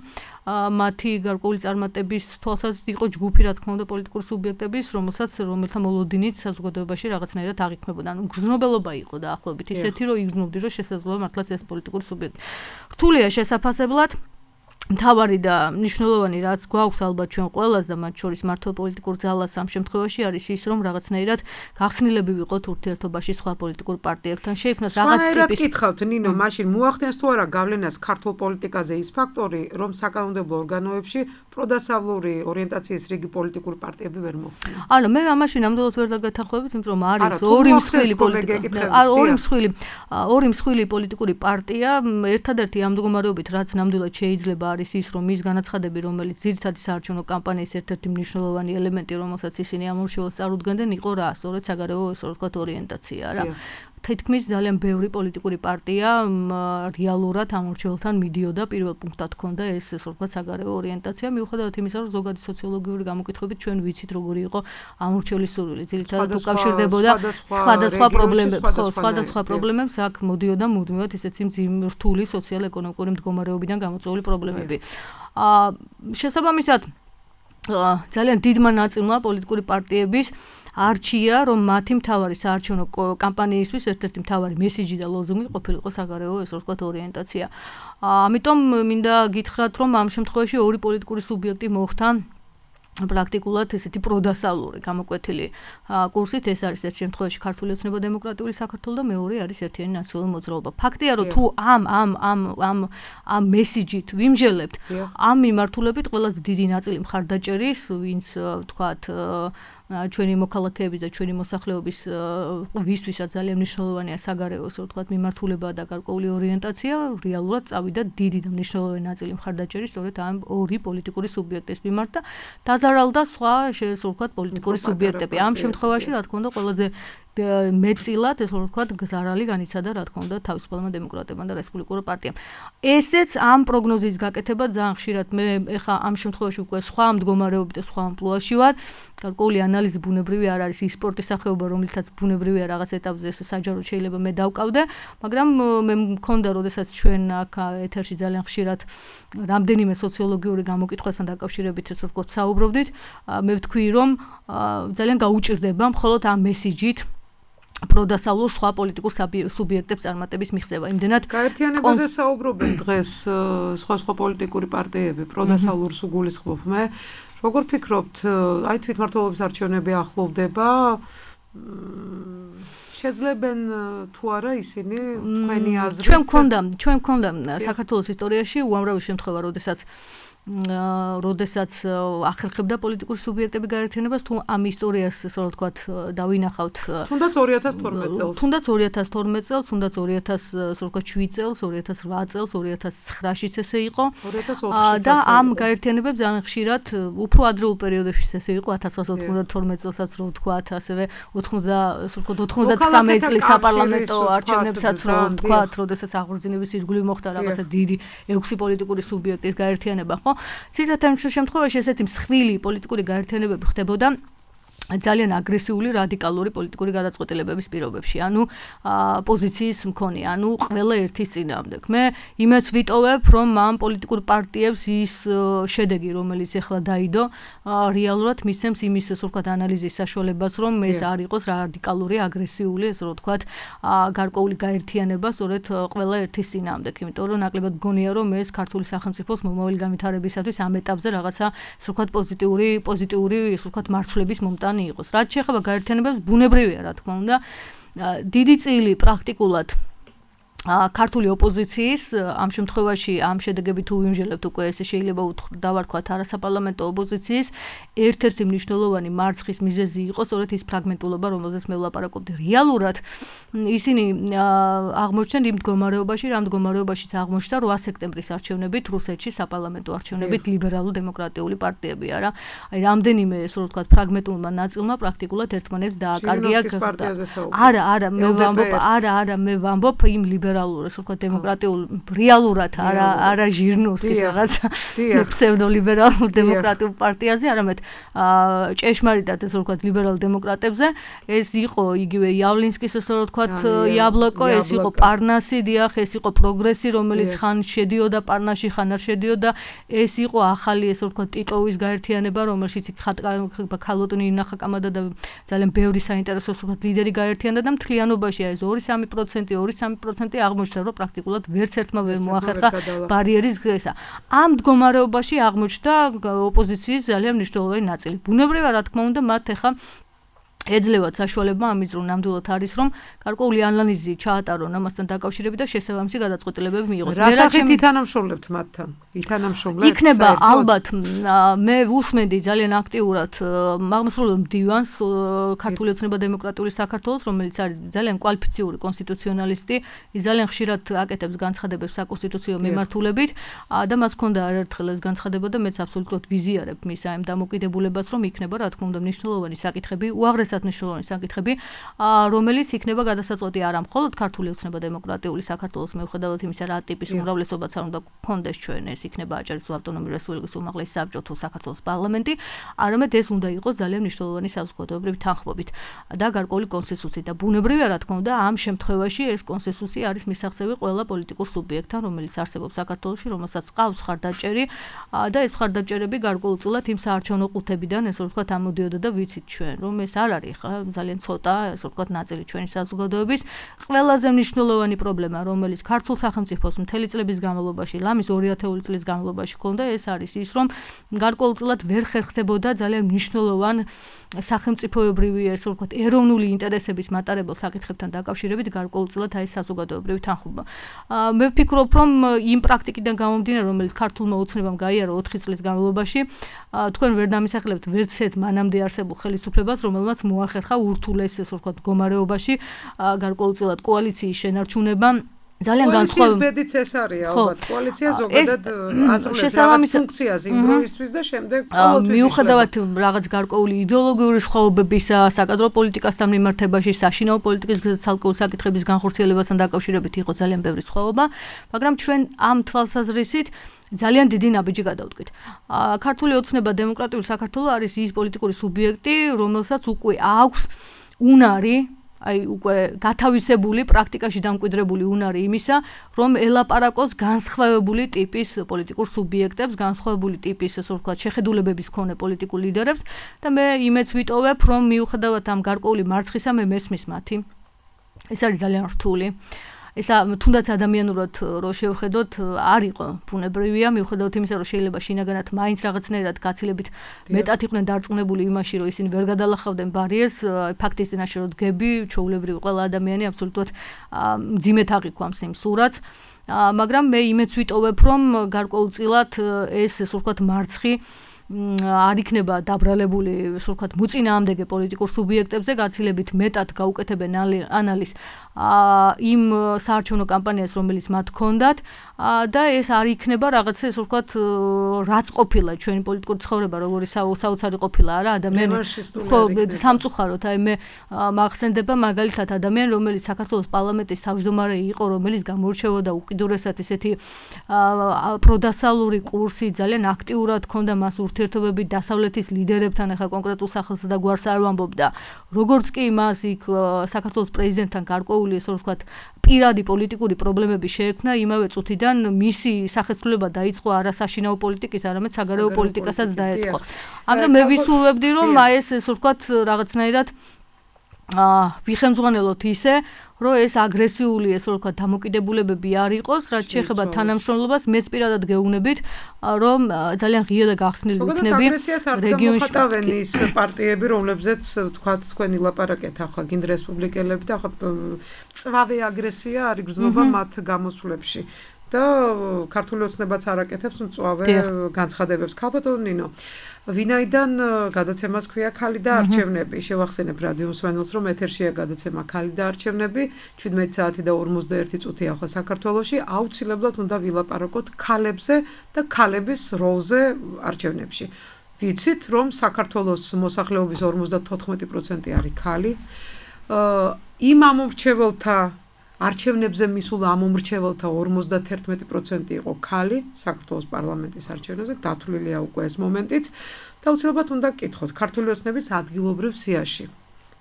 მათი გარკვეული წარმატების თვალსაზრისით იყო ჯგუფი, რა თქმა უნდა, პოლიტიკური სუბიექტების, რომელთა მოლოდინით საზოგადოებაში რაღაცნაირად აღიქმებოდა. ანუ გრძნობელობა იყო დაახლოებით ისეთი, რომ იგრძნობდი, რომ შესაძლოა მართლაც ეს პოლიტიკური სუბიექტი. რთულია შესაფასებლად. მთავარი და მნიშვნელოვანი რაც გვაქვს ალბათ ჩვენ ყველას და მათ შორის მართლ პოლიტიკურ ძალას ამ შემთხვევაში არის ის, რომ რაღაცნაირად გახსნილები ვიყოთ ურთიერთობაში სხვა პოლიტიკურ პარტიებთან. შეიქმნას რაღაც ტიპის. სხვანაირად გითხავთ, ნინო, მაშინ მოახდენს თუ არა გავლენას ქართულ პოლიტიკაზე ის ფაქტორი, რომ საკანონმდებლო ორგანოებში პროდასავლური ორიენტაციის რიგი პოლიტიკური პარტიები ვერ მოხვდნენ. ანუ მე ამაში ნამდვილად ვერ დაგეთანხმებით, იმიტომ რომ არის ორი მსხვილი პოლიტიკური პარტია, ერთადერთი ამ მდგომარეობით, რაც ნამდვილად შეიძლება არის ის, რომ ის განაცხადები, რომელიც ძირითადი საარჩევნო კამპანიის ერთ-ერთი მნიშვნელოვანი ელემენტი, რომელსაც ისინი ამორჩეულს წარუდგენდნენ, იყო რა, სწორედ საგარეო, ესე ვთქვათ, ორიენტაცია რა. თითქმის ძალიან ბევრი პოლიტიკური პარტია რეალურად ამორჩეულთან მიდიოდა, პირველ პუნქტად ჰქონდა ეს, ესე ვთქვათ, საგარეო ორიენტაცია, მიუხედავად იმისა, რომ ზოგადი სოციოლოგიური გამოკითხვებით ჩვენ ვიცით, როგორი იყო ამორჩეულის სურვილი, ძირითადად უკავშირდებოდა სხვადასხვა პრობლემებს, აქ მოდიოდა მუდმივად ესეთი რთული სოციალ-ეკონომიკური მდგომარეობიდან გამოწვეული პრობლემები. შესაბამისად, ძალიან დიდმა ნაწილმა პოლიტიკური პარტიების არჩია, რომ მათი მთავარი საარჩევნო კამპანიისთვის ერთ-ერთი მთავარი მესიჯი და ლოზუნგი ყოფილიყო საგარეო, ესე ვთქვათ, ორიენტაცია. ამიტომ მინდა გითხრათ, რომ ამ შემთხვევაში ორი პოლიტიკური სუბიექტი მოხდა პრაქტიკულად ესეთი პროდასავლური გამოკვეთილი კურსით. ეს არის ერთ შემთხვევაში ქართული ოცნება დემოკრატიული საქართველო და მეორე არის ერთიანი ნაციონალური მოძრაობა. ფაქტია, რომ თუ ამ მესიჯით ვიმჟელებთ, ამ მიმართულებით ყველაზე დიდი ნაწილი მხარდაჭერის, ვინც ვთქვათ ჩვენი მოქალაქეების და ჩვენი მოსახლეობის ვისთვისაც ძალიან მნიშვნელოვანია საგარეო, ასე ვთქვათ, მიმართულება და გარკვეული ორიენტაცია, რეალურად წავიდა დიდი და მნიშვნელოვანი ნაწილი მხარდაჭერის სწორედ ამ ორი პოლიტიკური სუბიექტის მიმართ და დაზარალდა სხვა, ესე ვთქვათ, პოლიტიკური სუბიექტები. ამ შემთხვევაში, რა თქმა უნდა, ყველაზე მეწილად, ესე ვთქვათ, ზარალი განიცადა, რა თქმა უნდა, თავისუფალმა დემოკრატებმა და რესპუბლიკურ პარტიამ. ესეც ამ პროგნოზის გაკეთება ძალიან ხშირად მე ეხა ამ შემთხვევაში უკვე სხვა მდგომარეობით და სხვა ამპლუაში ვარ. გარკვეული ანალიზი ბუნებრივი არ არის ის სპორტის სახეობა, რომელთაც ბუნებრივია რაღაც ეტაპზე საჯაროდ შეიძლება მე დავკავდე, მაგრამ მე მქონდა, როდესაც ჩვენ აქ ეთერში ძალიან ხშირად რამდენიმე სოციოლოგიური გამოკითხვასთან დაკავშირებით, ესე ვთქვათ, საუბრობდით, მე ვთქვი, რომ ძალიან გაუჭირდება მხოლოდ ამ მესიჯით პროდასავლურ სხვა პოლიტიკურ სუბიექტებს წარმატების მიღწევა. იმდენად გაერთიანებაზე საუბრობენ დღეს სხვა პოლიტიკური პარტიები, პროდასავლურს უგულისხმობ მე. როგორ ფიქრობთ, აი თვითმმართველობის არჩევნები ახლოვდება? შეძლებენ თუ არა ისინი თქვენი აზრით? ჩვენ გქონდა საქართველოს ისტორიაში უამრავი შემთხვევა, როდესაც ახერხებდა პოლიტიკური სუბიექტები გაერთიანებას, თუ ამ ისტორიას, ასე რომ ვთქვათ, დავინახავთ. თუნდაც 2012 წელს. თუნდაც 2012 წელს, თუნდაც 2007 წელს, 2008 წელს, 2009-შიც ესე იყო. 2004-შიც და ამ გაერთიანებებს ძალიან ხშირად უფრო ადრეულ პერიოდებშიც ესე იყო 1992 წელსაც რო ვთქვათ, ასევე 99 წლის საპარლამენტო არჩევნებსაც რო ვთქვათ, როდესაც აღორძინების ირგვლივ მოხდა რაღაცა დიდი 6 პოლიტიკური სუბიექტის გაერთიანება, ხო? ცირთათა შემთხვევაში ესეთი მსხვილი პოლიტიკური გაერთიანებები ხდებოდა ძალიან აგრესიული რადიკალური პოლიტიკური გადაწყვეტილებების პირობებში, ანუ პოზიციის მქონე, ანუ ყველა ერთის წინააღმდეგ. მე იმეც ვიტოვებ, რომ ამ პოლიტიკურ პარტიებს ის შედეგი, რომელიც ახლა დაიდო, რეალურად მისცემს იმის, ასე ვთქვათ, ანალიზის საშუალებას, რომ ეს არ იყოს რადიკალური, აგრესიული, ასე ვთქვათ, გარკვეული გაერთიანება, სწორედ ყველა ერთის წინააღმდეგ, იმიტომ რომ ნაკლებად მგონია, რომ ეს ქართული სახელმწიფოს მომავალი განვითარებისათვის ამ ეტაპზე რაღაცა, ასე ვთქვათ, პოზიტიური, ასე ვთქვათ, მარცვლების მომტანი იყოს. რაც შეეხება გაერთიანებებს, ბუნებრივია, რა თქმა უნდა, დიდი წილი პრაქტიკულად ქართული ოპოზიციის ამ შემთხვევაში ამ შედეგები თუ ვიმჟელებთ უკვე ესე შეიძლება დავარქვათ არასაპარლამენტო ოპოზიციის ერთ-ერთი მნიშვნელოვანი მარცხის მიზეზი იყო სწორედ ის ფრაგმენტულობა, რომელზეც მე ვლაპარაკობდი. რეალურად ისინი აღმოჩნდნენ იმ მდგომარეობაშიც აღმოჩნდა 8 სექტემბრის არჩევნებით რუსეთში საპარლამენტო არჩევნებით ლიბერალურ-დემოკრატიული პარტიები არა. აი რამდენიმე ესე ვთქვათ ფრაგმენტულმა ნაწილმა პრაქტიკულად ერთმანეთს დააკარგია. არა, მე ვამბობ იმ ასე ვთქვათ, დემოკრატიულ რეალურად არა ჟირნოვსკის რაღაცა ფსევდოლიბერალურ დემოკრატიულ პარტიაზე, არამედ ჭეშმარიტად ასე ვთქვათ, ლიბერალ დემოკრატებზე. ეს იყო იგივე იავლინსკის ასე ვთქვათ, იაბლოკო, ეს იყო პარნასი, დიახ, ეს იყო პროგრესი, რომელიც ხან შედიოდა პარნასში, ხან არ შედიოდა. ეს იყო ახალი ასე ვთქვათ, ტიტოვის გაერთიანება, რომელშიც ქალოტონი ინახა კამადა და ძალიან ბევრი საინტერესო ასე ვთქვათ, ლიდერი გაერთიანდა და მთლიანობაში ეს 2-3% აღმოჩნდა, რომ პრაქტიკულად ვერც ერთმა ვერ მოახერხა ბარიერის გზა. ამ მდგომარეობაში აღმოჩნდა ოპოზიციის ძალიან მნიშვნელოვანი ნაწილი. ბუნებრივია, რა თქმა უნდა, მათ ეხა ეძლევათ საშუალება ამის რომ ნამდვილად არის რომ გარკვეული ანალიზი ჩაატარონ ამასთან დაკავშირებით და შესაბამისი გადაწყვეტილებები მიიღოს. რა სახით ითანამშრომლებთ მათთან? იქნება ალბათ მე ვუსმენდი ძალიან აქტიურად აღმასრულებელ მდივანს ქართული ოცნება დემოკრატიული საქართველოს, რომელიც არის ძალიან კვალიფიციური კონსტიტუციონალისტი, ის ძალიან ხშირად აკეთებს განცხადებებს საკონსტიტუციო მიმართულებით და მას ჰქონდა არაერთხელ ეს განცხადება და მეც აბსოლუტურად ვიზიარებ მის ამ დამოკიდებულებას, რომ იქნება რა თქმა უნდა მნიშვნელოვანი საკითხები, უაღრესად მნიშვნელოვანი საკითხები, რომელიც იქნება გადასაწყვეტი არა მხოლოდ ქართული ოცნება დემოკრატიული საქართველოს მიუხედავად იმისა, რა ტიპის უმრავლესობაც არ უნდა გქონდეს ჩვენ, ეს იქნება აჭარის ავტონომიური რესპუბლიკის უმაღლესი საბჭო თუ საქართველოს პარლამენტი, არამედ ეს უნდა იყოს ძალიან მნიშვნელოვანი საზოგადოებრივი თანხმობით და გარკვეული კონსენსუსით და ბუნებრივია, რა თქმა უნდა, ამ შემთხვევაში ეს კონსენსუსი არის მისაღწევი ყველა პოლიტიკურ სუბიექტთან, რომელიც არსებობს საქართველოში, რომელსაც ყავს მხარდაჭერი და ეს მხარდაჭერები გარკვეულწილად იმ საარჩევნო ყუთებიდან, ესე ვთქვათ, ამოდიოდა და ვიცით ჩვენ, რომ ეს არ არის ხა ძალიან ცოტა, ესე ვთქვათ, ნაწილი ჩვენი საზოგადოების ყველაზე მნიშვნელოვანი პრობლემა, რომელიც ქართულ სახელმწიფოს მთელი წლების განმავლობაში, ლამის 2000 წლის განმავლობაში ჰქონდა, ეს არის ის, რომ გარკვეულწილად ვერ ხერხდებოდა ძალიან მნიშვნელოვან სახელმწიფოებრივი, ესე ვთქვათ, ეროვნული ინტერესების მატარებელ საკითხებთან დაკავშირებით გარკვეულწილად აი საზოგადოებრივი თანხმობა. მე ვფიქრობ, რომ იმ პრაქტიკიდან გამომდინარე, რომელიც ქართულმა ოცნებამ გაიარა 4 წლის განმავლობაში, თქვენ ვერ დამისახლებთ ვერც ერთ მანამდე არსებულ ხელისუფლებას, რომელმაც მოახერხა ურთულეს, ესე ვთქვათ, მდგომარეობაში გარკვეულწილად კოალიციის შენარჩუნება. ძალიან განსხვავებული ბედიც ეს არის ალბათ კოალიცია ზოგადად ასრულებს რაღაც ფუნქციას იმ დროისთვის და შემდეგ ყოველთვის მიუხედავად რაღაც გარკვეული იდეოლოგიური სხვაობებისა საკადრო პოლიტიკასთან მიმართებაში საშინაო პოლიტიკის ცალკეულ საკითხების განხორციელებასთან დაკავშირებით იყო ძალიან ბევრი სხვაობა, მაგრამ ჩვენ ამ თვალსაზრისით ძალიან დიდი ნაბიჯი გადავდგით. ქართული ოცნება დემოკრატიული საქართველო არის ის პოლიტიკური სუბიექტი, რომელსაც უკვე აქვს უნარი აი უკვე გათავისებული პრაქტიკაში დამკვიდრებული უნარი იმისა, რომ ელაპარაკოს განსხვავებული ტიპის პოლიტიკურ სუბიექტებს, განსხვავებული ტიპის, ასე ვთქვათ, შეხედულებების მქონე პოლიტიკურ ლიდერებს და მე იმეც ვიტოვებ, რომ მიუხედავად ამ გარკვეული მარცხისა მე მესმის მათი ეს არის ძალიან რთული. ესა თუნდაც ადამიანურად რო შევხედოთ, არ იყო ბუნებრივია, მიუხედავად იმისა, რომ შეიძლება შინაგანად მაინც რაღაცნაირად გაცილებით მეტად იყვნენ დარწმუნებული იმაში, რომ ისინი ვერ გადალახავდნენ ბარიერს, ფაქტის წინაშე რო დგები, ჩვეულებრივი ყველა ადამიანი აბსოლუტურად მძიმედ აღიქვამს იმ სურათს. მაგრამ მე იმეც ვიტოვებ, რომ გარკვეულწილად ეს ასე ვთქვათ მარცხი არ იქნება დაბრალებული, ასე ვთქვათ, მოწინააღმდეგე პოლიტიკურ სუბიექტებზე, გაცილებით მეტად გაუკეთებენ ანალიზს იმ საარჩევნო კამპანიას, რომელიც მათ ჰქონდათ და ეს არ იქნება რაღაცა, ასე ვთქვათ, რაც ყოფილა ჩვენი პოლიტიკური ცხოვრება, როგორი საოცარი ყოფილა არა ადამიანი. ხო, სამწუხაროდ, აი მე მახსენდება მაგალითად ადამიანი, რომელიც საქართველოს პარლამენტის თავმჯდომარე იყო, რომელიც გამოირჩეოდა უკიდურესად ესეთი პროდასალური კურსი, ძალიან აქტიურად ჰქონდა მას ურთიერთობები დასავლეთის ლიდერებთან, ახლა კონკრეტულ სახელსა და გვარს არ ვამბობ და როგორც კი მას იქ საქართველოს პრეზიდენტთან გარკვეული, ასე ვთქვათ, პირადი პოლიტიკური პრობლემები შეექმნა, იმავე წუთიდან მისი სახეცვლილება დაიწყო არა საშინაო პოლიტიკის, არამედ საგარეო პოლიტიკასაც დაეთყო. ამიტომ მე ვისურვებდი, რომ ეს ასე ვთქვათ, რაღაცნაირად ვიხემძღვანელოთ ისე, რომ ეს აგრესიული, ასე ვთქვათ, დამოკიდებულებები არ იყოს, რაც შეეხება თანამშრომლობას, მეც პირადად გეუბნებით, რომ ძალიან ღია და გახსნილი იქნები რეგიონში. მოხატავენ ის პარტიები, რომლებზეც ვთქვათ, თქვენი ლაპარაკეთ ახლა გინდ რესპუბლიკელები და ახლა წვავე აგრესია არ იგრძნობა მათ გამოსვლებში. და ქართული ოცნებაც არაკეთებს მწვავე განცხადებებს. ქალბატონო ნინო, ვინაიდან გადაცემას ქვია ქალი და არჩევნები, შევახსენებ რადიო მსმენელს, რომ ეთერშია გადაცემა ქალი და არჩევნები, 17 საათი და 51 წუთი ახლა საქართველოში, აუცილებლად უნდა ვილაპარაკოთ ქალებზე და ქალების როლზე არჩევნებში. ვიცით, რომ საქართველოს მოსახლეობის 54% არის ქალი. იმ ამომრჩეველთა არჩევნებზე მისულ ამომრჩეველთა 51% იყო ქალი საქართველოს პარლამენტის არჩევნებზე, დათვლილია უკვე ეს მომენტიც და უცებად უნდა გკითხოთ ქართული ოცნების ადგილობრივ სიაში.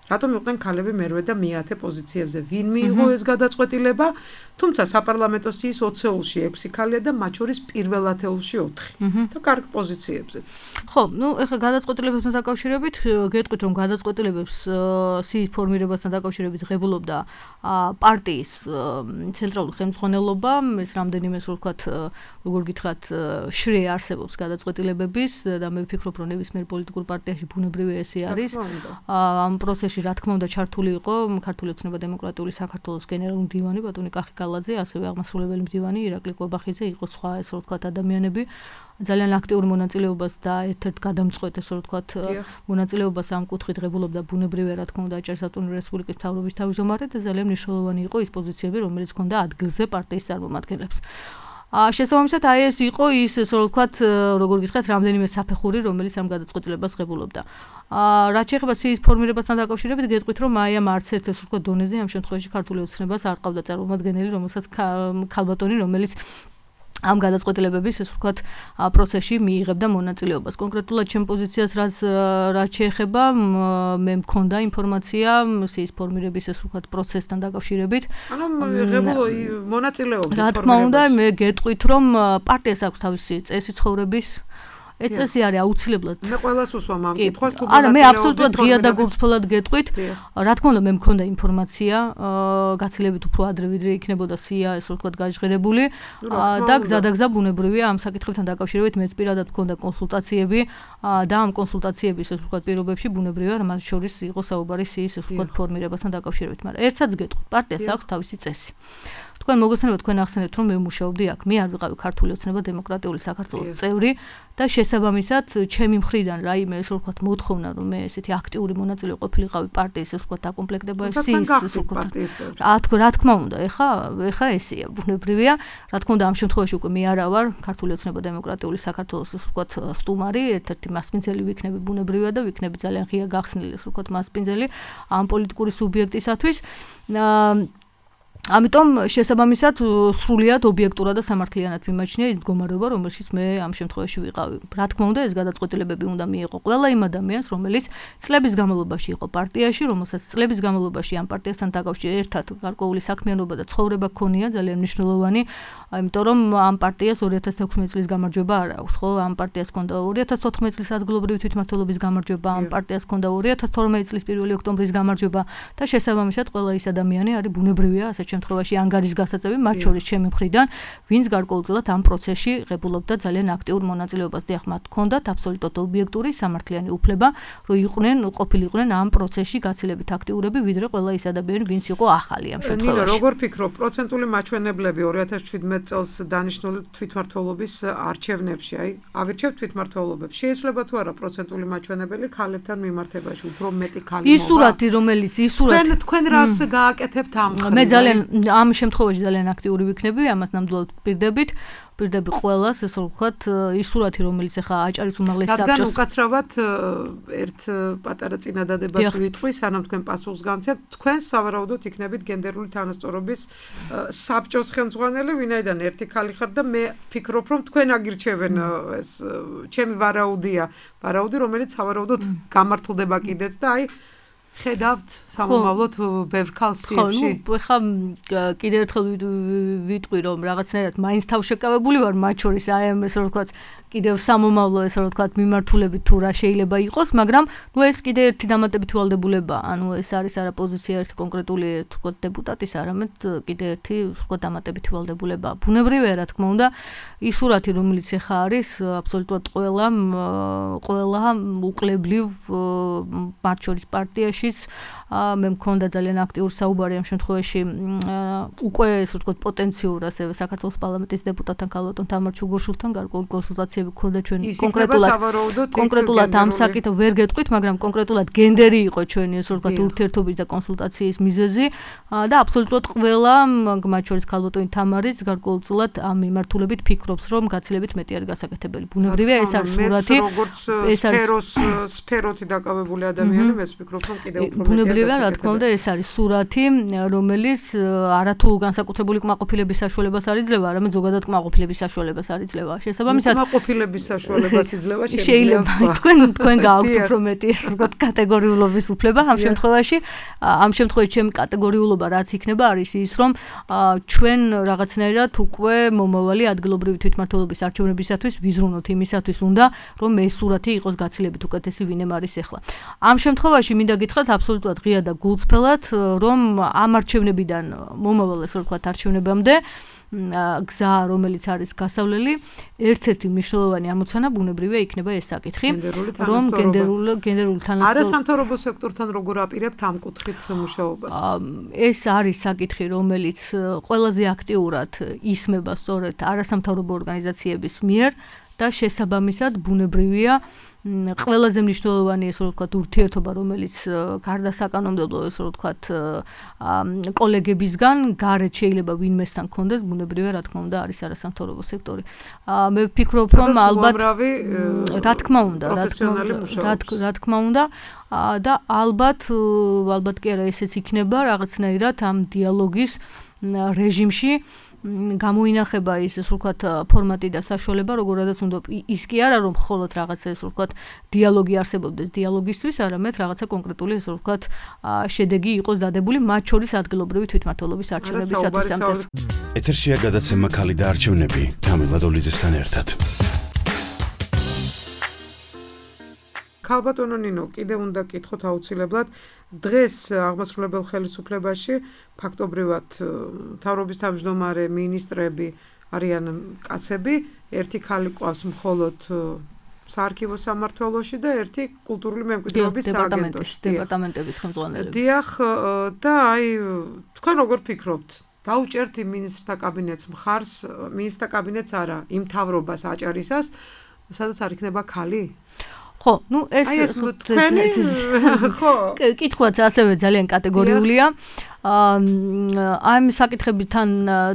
რატომ იყვნენ ქალები მერვე და მეათე პოზიციებზე? ვინ მიიღო ეს გადაწყვეტილება? თუმცა საპარლამენტო სიის 20-ში 6 ქალია და მათ შორის პირველ ათეულში 4 და კარგ პოზიციებზეც. ხო, ნუ ეხლა გადაწყვეტილებებთან დაკავშირებით გეტყვით, რომ გადაწყვეტილებებს სიის ფორმირებასთან დაკავშირებით ღებულობდა პარტიის ცენტრალური ხელმძღვანელობა, ეს რამდენიმე ასე ვთქვათ, როგორ გითხრათ, შრე არსებობს გადაწყვეტილებების და მე ვფიქრობ, რომ ნებისმიერ პოლიტიკურ პარტიაში ბუნებრივია ესე არის. ამ პროცესში რა თქმა უნდა ჩართული იყო ქართული ოცნება დემოკრატიული საქართველოს გენერალური მდივანი ბატონი კახი კალაძე, ასევე აღმასრულებელი მდივანი ირაკლი კვებახიძე, იყო სხვა ესე ვთქვათ ადამიანები. ძალიან აქტიური მონაწილეობას და ერთ-ერთ გადამწყვეტ ესე ვთქვათ მონაწილეობას ამ კუთხით ღებულობდა ბუნებრივია რა თქმა უნდა აჭარისწყლის რესპუბლიკის მთავრობის თავმჯდომარე და ძალიან მნიშვნელოვანი იყო ის პოზიციები, რომელიც ჰქონდა ადგილზე პარტიის წარმომადგენლებს. შესაბამისად აი ეს იყო ის ესე ვთქვათ, როგორ გითხრათ, რამდენიმე საფეხური, რომელიც ამ გადაწყვეტილებას ღებულობდა. რაც შეეხება სიის ფორმირებასთან დაკავშირებით, გეტყვით, რომ აი ამ არც ერთ ესე ვთქვათ დონეზე ამ შემთხვევაში ქართული ოცნებას არ ყავდა წარმომადგენელი, რომელსაც ქალბატონი, რომელიც ამ გადაწყვეტილებების ესე ვთქვათ პროცესში მიიღებდა მონაწილეობას. კონკრეტულად ჩემ პოზიციას რაც შეეხება, მე მქონდა ინფორმაცია სიის ფორმირების ესე ვთქვათ პროცესთან დაკავშირებით. ანუ ღებულო მონაწილეობდა რა თქმა უნდა, მე გეტყვით, რომ პარტიას აქვს თავისი წესი ცხოვრების ეს წესი არის აუცილებლად. მე ყველას უსვამ ამ კითხვას თუ არა, მე აბსოლუტურად ღია და გულწრფელად გეტყვით. რა თქმა უნდა, მე მქონდა ინფორმაცია, გაცილებით უფრო ადრე ვიდრე იქნებოდა სია, ესე ვთქვათ, გაჟღერებული და გზადაგზა ბუნებრივია ამ საკითხებთან დაკავშირებით მეც პირადად მქონდა კონსულტაციები და ამ კონსულტაციების ესე ვთქვათ პირობებში ბუნებრივია მათ შორის იყო საუბარი სიის ესე ვთქვათ ფორმირებასთან დაკავშირებით, მაგრამ ერთსაც გეტყვით, პარტიას აქვს თავისი წესი. თქვენ მოგესალმებით, თქვენ ახსენებთ, რომ მე მუშაობდი აქ. მე არ ვიყავი ქართული ოცნება დემოკრატიული საქართველოს წევრი და შესაბამისად, ჩემი მხრიდან რაიმე ესე ვთქვათ მოთხოვნა, რომ მე ესეთი აქტიური მონაწილე ყოფილიყავი პარტიის ესე ვთქვათ აკომპლექტებაში, ესე ვთქვათ. რა თქმა უნდა, ეხა ესეა ბუნებრივია. რა თქმა უნდა, ამ შემთხვევაში უკვე მე არა ვარ ქართული ოცნება დემოკრატიული საქართველოს ესე ვთქვათ სტუმარი, ერთ-ერთი მასპინძელი ვიქნები ბუნებრივია და ვიქნები ძალიან ღია გახსნილი ესე ვთქვათ მასპინძელი ამ პოლიტიკური სუბიექტისათვის. ამიტომ შესაბამისად სრულიად ობიექტურად და სამართლიანად მიმაჩნია ის მდგომარეობა, რომელშიც მე ამ შემთხვევაში ვიყავი. Რა თქმა უნდა, ეს გადაწყვეტილებები უნდა მიიღო ყველა იმ ადამიანს, რომელიც წლების განმავლობაში იყო პარტიაში, რომელსაც წლების განმავლობაში ამ პარტიასთან დაკავშირებით ერთად გარკვეული საქმიანობა და ცხოვრება ჰქონია, ძალიან მნიშვნელოვანი, იმიტომ რომ ამ პარტიას 2016 წლის გამარჯვება არ აქვს, ხო? ამ პარტიას ჰქონდა 2014 წლის ადგილობრივი თვითმმართველობის გამარჯვება, ამ პარტიას ჰქონდა 2012 წლის 1 ოქტომბრის გამარჯვება და შესაბამისად ყველა ის ადამიანი არის ბუნებრივია ასეთ შემთხვევაში ანგარის გასაწევი, მათ შორის ჩემი მხრიდან, ვინც გარკვეულწილად ამ პროცესში ღებულობდა ძალიან აქტიურ მონაწილეობას. დიახ, მათ ჰქონდათ აბსოლუტურად ობიექტური სამართლიანი უფლება, რომ ყოფილიყვნენ ამ პროცესში გაცილებით აქტიურები, ვიდრე ყველა ის ადამიანი, ვინც იყო ახალი ამ შემთხვევაში. ნინო, როგორ ფიქრობ, პროცენტული მაჩვენებლები 2017 წელს დანიშნული თვითმმართველობის არჩევნებში, აი, ავირჩევთ თვითმმართველობებს. შეიძლება თუ არა პროცენტული მაჩვენებელი ქალებთან მიმართებაში, უფრო მეტი ქალი მოვა? ის სურათი, რომელიც თქვენ რას გააკეთებთ ამ ხრივ? მე ძალიან ამ შემთხვევაში ძალიან აქტიური ვიქნები, ამას ნამდვილად პირდები ყველას, ესე რომ ვთქვათ, ის სურათი, რომელიც ახლა აჭარის უმაღლესი საბჭოს რადგან უკაცრავად ერთ პატარა წინადადებას ვიტყვი, სანამ თქვენ პასუხს გამცემთ, თქვენ სავარაუდოდ იქნებით გენდერული თანასწორობის საბჭოს ხელმძღვანელი, ვინაიდან ერთი ქალი ხართ და მე ვფიქრობ, რომ თქვენ აგირჩევენ ეს ჩემი ვარაუდი, რომელიც სავარაუდოდ გამართლდება კიდეც და აი ხედავთ სამომავლოდ ბევრ ქალს სიებში. ხო, ხა კიდევ ერთხელ ვიტყვი, რომ რაღაცნაირად მაინც თავშეკავებული ვარ მათ შორის, აი ამ ესე რომ ვთქვათ, კიდევ სამომავლო ესე რომ ვთქვათ, მიმართულებით თუ რა შეიძლება იყოს, მაგრამ ნუ ეს კიდევ ერთი დამატებითი ვალდებულებაა. ანუ ეს არის არა პოზიცია ერთი კონკრეტული ვთქვათ დეპუტატის, არამედ კიდევ ერთი ვთქვათ დამატებითი ვალდებულებაა. ბუნებრივია, რა თქმა უნდა, ის სურათი, რომელიც ახლა არის, აბსოლუტურად ყველა უკლებლივ მათ შორის პარტიაში მე მქონდა ძალიან აქტიურ საუბარი ამ შემთხვევაში უკვე ესე ვთქვათ პოტენციურ ასევე საქართველოს პარლამენტის დეპუტატთან ქალბატონ თამარ ჩუგოშვილთან გარკვეული კონსულტაციები გქონდა ჩვენ კონკრეტულად ამ საკითხს ვერ გეტყვით, მაგრამ კონკრეტულად გენდერი იყო ჩვენი ესე ვთქვათ ურთიერთობის და კონსულტაციის მიზეზი და აბსოლუტურად ყველა მათ შორის ქალბატონი თამარიც გარკვეულწილად ამ მიმართულებით ფიქრობს, რომ გაცილებით მეტი არის გასაკეთებელი. ბუნებრივია, ეს არის სურათი, ეს არის სფეროთი დაკავებული ადამიანი, მე ვფიქრობ, რომ კიდევ უფრო მეტია. ბუნებრივია, რა თქმა უნდა, ეს არის სურათი, რომელიც არათუ განსაკუთრებული კმაყოფილების საშუალებას არ იძლევა, არამედ ზოგადად კმაყოფილების საშუალებას არ იძლევა. შესაბამისად, კმაყოფილების საშუალებას იძლევა შეიძლება. თქვენ გააქვთ უფრო მეტი, ასე ვთქვათ, კატეგორიულობის უფლება ამ შემთხვევაში. ამ შემთხვევაში ჩემი კატეგორიულობა რაც იქნება არის ის, რომ ჩვენ რაღაცნაირად უკვე მომავალი ადგილობრივი თვითმმართველობის არჩევნებისათვის ვიზრუნოთ იმისათვის უნდა, რომ ეს სურათი იყოს გაცილებით უკეთესი, ვინემ არის ახლა. ამ შემთხვევაში მინდა გითხრათ აბსოლუტურად ღია და გულწრფელად, რომ ამ არჩევნებიდან მომავალ ესე ვთქვათ არჩევნებამდე გზა, რომელიც არის გასავლელი, ერთ-ერთი მნიშვნელოვანი ამოცანა ბუნებრივია იქნება ეს საკითხი, რომ გენდერული თანასწორობა არასამთავრობო სექტორთან როგორ აპირებთ ამ კუთხით მუშაობას? ეს არის საკითხი, რომელიც ყველაზე აქტიურად ისმება სწორედ არასამთავრობო ორგანიზაციების მიერ და შესაბამისად ბუნებრივია ყველაზე მნიშვნელოვანი ესე ვთქვათ ურთიერთობა, რომელიც გარდა საკანონმდებლო ესე ვთქვათ კოლეგებისგან გარეთ შეიძლება ვინმესთან კონდეს, ბუნებრივია, რა თქმა უნდა, არის არასამთავრობო სექტორი. მე ვფიქრობ, რომ ალბათ რა თქმა უნდა და ალბათ კი არა ესეც იქნება რაღაცნაირად ამ დიალოგის რეჟიმში გამოინახება ის ესე ვთქვათ ფორმატი და საშუალება, როგორადაც უნდა ის კი არა რომ მხოლოდ რაღაცა ესე ვთქვათ დიალოგი არსებობდეს დიალოგისთვის, არამედ რაღაცა კონკრეტული ესე ვთქვათ შედეგი იყოს დადებული მათ შორის ადგილობრივი თვითმმართველობის არჩევნებისათვის ამ თემას. ეთერშია გადაცემა ქალი და არჩევნები თამილა დოლიძესთან ერთად. ქალბატონო ნინო, კიდევ უნდა გკითხოთ აუცილებლად, დღეს აღმასრულებელ ხელისუფლებაში ფაქტობრივად მთავრობის თავმჯდომარე მინისტრები არიან კაცები, ერთი ქალი ყავს მხოლოდ საარქივო სამმართველოში და ერთი კულტურული მემკვიდრეობის სააგენტოში, დეპარტამენტების ხელმძღვანელები. დიახ, და აი თქვენ როგორ ფიქრობთ? დაუჭერთ იმ მინისტრთა კაბინეტს მხარს, მინისტრთა კაბინეტს არა, იმ მთავრობას აჭარისას, სადაც არ იქნება ქალი? ხო, ნუ ეს თქვენი ხო კითხვაც ასევე ძალიან კატეგორიულია. ამ საკითხებთან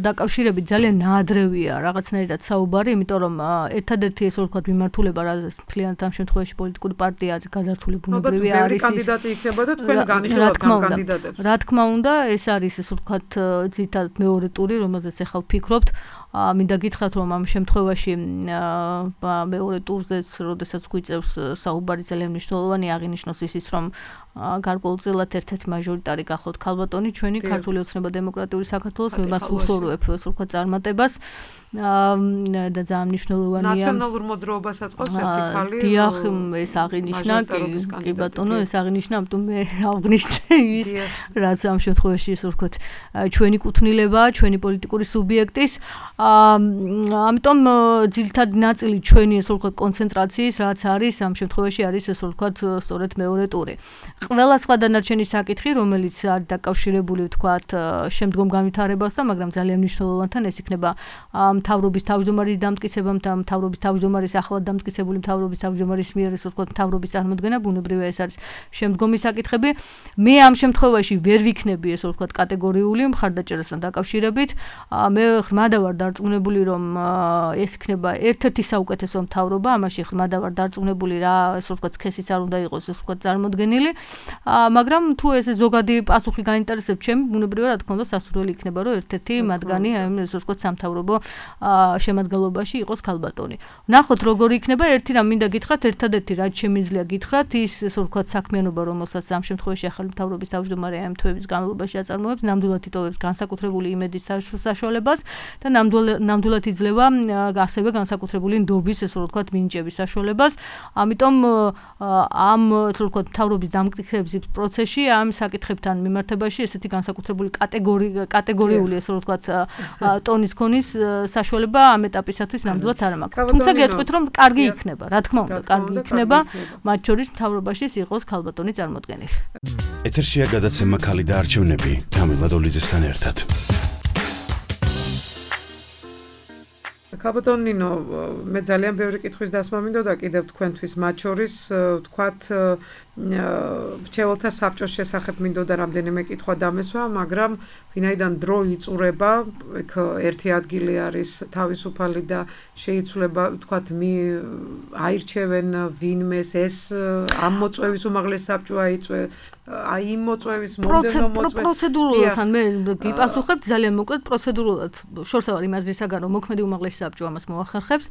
დაკავშირებით ძალიან ნაადრევია რაღაცნაირად საუბარი, იმიტომ რომ ერთადერთი ესე ვთქვათ მიმართულება, რაც მთლიანად ამ შემთხვევაში პოლიტიკური პარტია არის გადართული ბუნებრივი არის ის კანდიდატი იქნება და თქვენ განიხილავთ ამ კანდიდატებს. რა თქმა უნდა, ეს არის ესე ვთქვათ ძირითადად მეორე ტური, რომელზეც ახლა ვფიქრობთ. მინდა გითხრათ, რომ ამ შემთხვევაში მეორე ტურზეც, როდესაც გვიწევს საუბარი, ძალიან მნიშვნელოვანი აღინიშნოს ის, რომ გარკვეულწილად ერთ-ერთი მაჟორიტარი გახლავთ ქალბატონი, ჩვენი ქართული ოცნება დემოკრატიული საქართველოს, მე მას უსურვებ, ასე ვთქვათ, წარმატებას და ძალიან მნიშვნელოვანია. ნაციონალურ მოძრაობასაც ყავს ერთი ქალი. დიახ, ეს აღინიშნა, კი ბატონო, ეს აღინიშნა, ამიტომ მე ავღნიშნე ის, რაც ამ შემთხვევაში ასე ვთქვათ, ჩვენი კუთვნილებაა, ჩვენი პოლიტიკური სუბიექტის. ამიტომ ძირითადი ნაწილი ჩვენი ასე ვთქვათ კონცენტრაციის, რაც არის ამ შემთხვევაში არის ასე ვთქვათ სწორედ მეორე ტური. ყველა სხვა დანარჩენი საკითხი, რომელიც არის დაკავშირებული ვთქვათ შემდგომ განვითარებასთან, მაგრამ ძალიან მნიშვნელოვანთან ეს იქნება მთავრობის თავმჯდომარის დამტკიცება, მთავრობის თავმჯდომარის ახლად დამტკიცებული მთავრობის თავმჯდომარის მიერ ასე ვთქვათ მთავრობის წარმოქმნა, ბუნებრივია ეს არის შემდგომი საკითხები. მე ამ შემთხვევაში ვერ ვიქნები ასე ვთქვათ კატეგორიული მხარდაჭერასთან დაკავშირებით. მე ღრმადა ვარ დარწმუნებული, რომ ეს იქნება ერთ-ერთი საუკეთესო მთავრობა, ამაში ღრმადა ვარ დარწმუნებული, რა ასე ვთქვათ სქესიც არ უნდა იყოს ასე ვთქვათ წარმოდგენილი. მაგრამ თუ ეს ზოგადი პასუხი გაინტერესებს ჩემი, ბუნებრივია რა თქმა უნდა სასურველი იქნება, რომ ერთ-ერთი მათგანი ამ ასე ვთქვათ სამთავრობო შემადგენლობაში იყოს ქალბატონი. ნახოთ როგორი იქნება, ერთი რამ მინდა გითხრათ, ერთადერთი რაც შემიძლია გითხრათ, ის ასე ვთქვათ საქმიანობა, რომელსაც ამ შემთხვევაში ახალი მთავრობის თავმჯდომარე ამ თვეების განმავლობაში აწარმოებს, ნამდვილად იტოვებს განსაკუთრებული იმედის საშუალებას და ნამდვილად იძლევა ასევე განსაკუთრებული ნდობის ასე ვთქვათ მინიჭების საშუალებას. ამიტომ ამ ასე ვთქვათ მთავრობის დამტკიცების პროცესში ამ საკითხებთან მიმართებაში ესეთი განსაკუთრებული კატეგორიული ასე ვთქვათ ტონის ქონის საშუალება ამ ეტაპისათვის ნამდვილად არ მაქვს. თუმცა გეტყვით, რომ კარგი იქნება, რა თქმა უნდა, კარგი იქნება, მათ შორის მთავრობაში იყოს ქალბატონი წარმოდგენილი. ეთერშია გადაცემა ქალი და არჩევნები თამილა დოლიძესთან ერთად. ქალბატონ ნინო, მე ძალიან ბევრი კითხვის დასმა მინდოდა კიდევ თქვენთვის, მათ შორის ვთქვათ მრჩეველთა საბჭოს შესახებ მინდოდა რამდენიმე კითხვა დამესვა, მაგრამ ვინაიდან დრო იწურება, იქ ერთი ადგილი არის თავისუფალი და შეიცვლება, ვთქვათ, აირჩევენ ვინმეს, ეს ამ მოწვევის უმაღლეს საბჭო აიწვე, აი იმ მოწვევის მომდევნო მოწვევის პროცედურულად მე გიპასუხებთ ძალიან მოკლედ პროცედურულად შორსა ვარ იმ აზრისაგან რომ მოქმედი უმაღლესი საბჭო ამას მოახერხებს